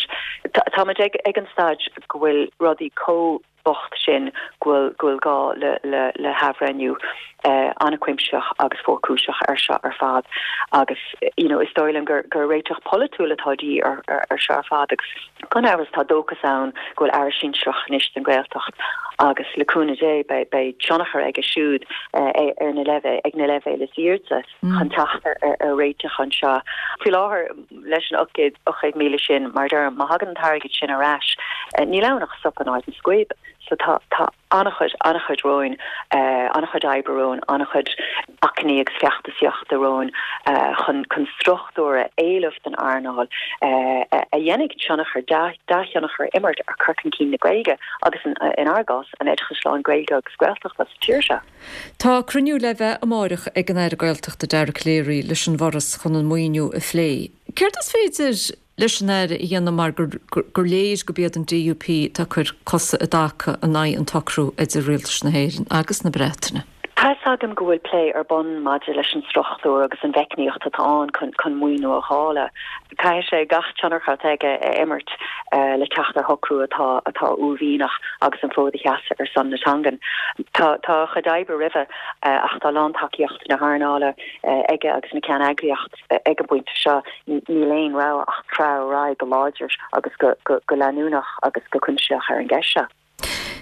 táimid ag ag an staid go bhfuil rudaí chomh bocht sin go bhfuil go bhfuil gá le le le hathbhreithniú an-chuimsitheach agus fuarchúiseach ar seo ar fad agus you know is dóigh liom gur gur réiteach polaitiúil atá de dhíth ar ar ar seo ar fad agus gan amhras tá dóchas ann go bhfuil Aire Sinsearach anois don Ghaeltacht agus le cúnamh Dé beidh beidh tionchar aige siúd ar na leibhéil ag na leibhéil is airde. chun teacht ar réiteach anseo. Faoi láthair, leis an 800,000 sin, mar a deirim, má thagann an t-airgead sin ar ais, níl ann ach sop in áit an scuib. So tá tá an-chuid, an-chuid romhainn, an-chuid oibre romhainn, an-chuid achainí agus feachtasaíochta romhainn chun chun struchtúr a éileamh don earnáil a dhéanfaidh tionchar, dea-thionchar a imirt ar chur chun cinn na Gaeilge agus inár gcás, an oideachais lán-Ghaeilge agus Gaeltachta sa tír seo. Tá cruinniú le bheith amáireach ag an Aire Gaeltachta Dara Calleary leis an bhForas chun an maoiniú a phlé. Céard is féidir leis an Aire a dhéanamh mar gur léir gurb iad an DUP atá ag cur cosa i dtaca in aghaidh an tsocrú idir Rialtais na hÉireann agus na Breataine? Tá fhios agam go bhfuil plé ar bun maidir leis an struchtúr agus an mheicníocht atá ann chun maoiniú a dháileadh. Caithfidh sé gach tionchar atá aige a imirt le teacht ar shocrú atá atá uaillmhianach agus an fód a sheasamh ar son na teangan. Tá tá a chuid oibre roimhe ach tá lántacaíocht na hearnála aige agus na ceanneagraíocht ag an bpointe seo. Níl aon rogha ach treabhadh ar aghaidh go láidir agus go go leanúnach agus go cuimsitheach ar an gceist seo.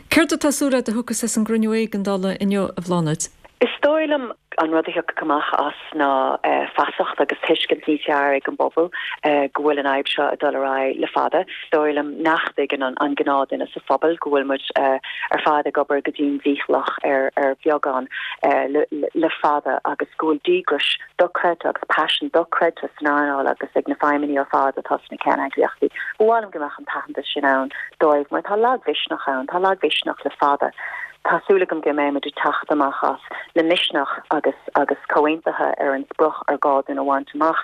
Céard atá súil agat a thiocfas as an gcruinniú éigeandála inniu, a Bhláthnaid? Is dóigh liom an rud a thiocfadh amach as ná feasacht agus tuiscint níos fearr ag an bpobal go bhfuil an fhadhb seo ag dul ar aghaidh le fada. Is dóigh liom nach dtuigeann an gnáthduine sa phobal go bhfuil muid ar fad ag obair go dian dícheallach ar bheagán le fada agus go bhfuil díograis dochreidte agus paisean dochreidte san earnáil agus ag na feidhmeannaigh ar fad atá sna ceanneagraíochtaí. Ba mhaith liom go mbeadh an t-aitheantas sin ann dóibh mar tá lagmhisneach ann, tá lagmhisneach le fada. Tá súil agam go mbeidh muid ag teacht amach as le misneach agus agus comhaontaithe ar an sprioc ar gá dúinn a bhaint amach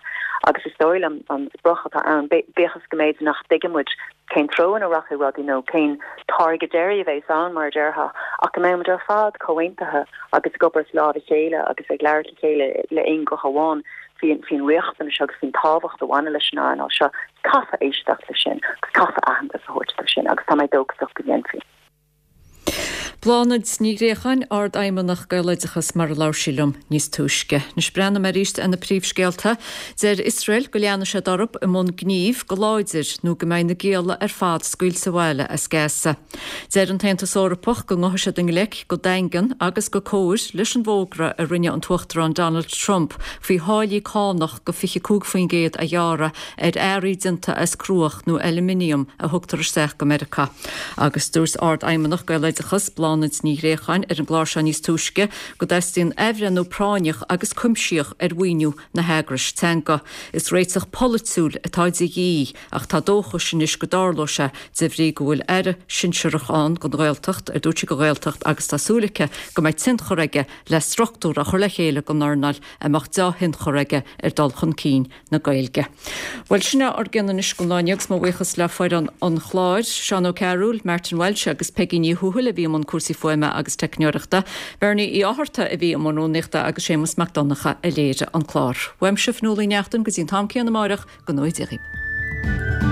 agus is dóigh liom an sprioc atá ann, bíodh is go mb'fhéidir nach dtuigeann muid cén treo ina rachaidh rudaí nó cén táirge deiridh a bheas ann, mar a déarfá, ach go mbeidh muid ar fad comhaontaithe agus ag obair as lámh a chéile agus ag labhairt le chéile le aon ghuth amháin faoin riachtanais agus faoin tábhacht a bhaineann leis an earnáil seo. Caithfear éisteacht leis sin agus caithfear aitheantas a thabhairt dó sin agus tá mé dóchasach go ndéanfaí. Bláthnaid Ní Ghréacháin, Ard-Fheidhmeannach Gaeloideachas mar a labhair sí liom níos túisce. Anois breathnóidh mé arís ar na príomhscéalta. Deir Iosrael go leanfaidh siad orthu i mbun gnímh go láidir nó go mbeidh na gialla ar fad scaoilte abhaile as Gaza. Deir an tAontas Eorpach go ngabhfaidh siad i ngleic go daingean agus go cóir leis an bhfógra a rinne an tUachtarán Donald Trump faoi tháillí cánach go 25% a ghearradh ar earraí déanta as cruach nó ailminiam a thugtar isteach go Meiriceá. Agus dúirt Ard-Fheidhmeannach Gaeloideachas, Bláthnaid. Bláthnaid Ní Ghréacháin ar an gclár seo níos túisce go dteastaíonn athbhreithniú práinneach agus cuimsitheach ar mhaoiniú na heagrais teanga. Is réiteach polaitiúil atá de dhíth ach tá dóchas anois go dtarlóidh sé de bhrí go bhfuil aire sinsearach ann don Ghaeltacht, ar dúirt sí don Ghaeltacht agus tá súil aici go mbeidh tionchar aige le struchtúr a chur le chéile don earnáil a mbeadh deá-thionchar aige ar dul chun cinn na Gaeilge. Bhuel, sin é ár gcion anois don lá inniu agus mo bhuíochas le foireann an chláir, Seán Ó Cearúil, Martin Walsh agus Peigí Ní Thuathail a bhí i mbun cúrsaí fuaime agus teicneoireachta, Bernie Uí Fhátharta a bhí i mbun rúnaíochta agus Séamus Mac Donncha a léirigh an clár. Uaimse, Fionnuala Uí Neachtain, go dtí an t-am céanna amáireach, go ngnóthaí Dia dhaoibh.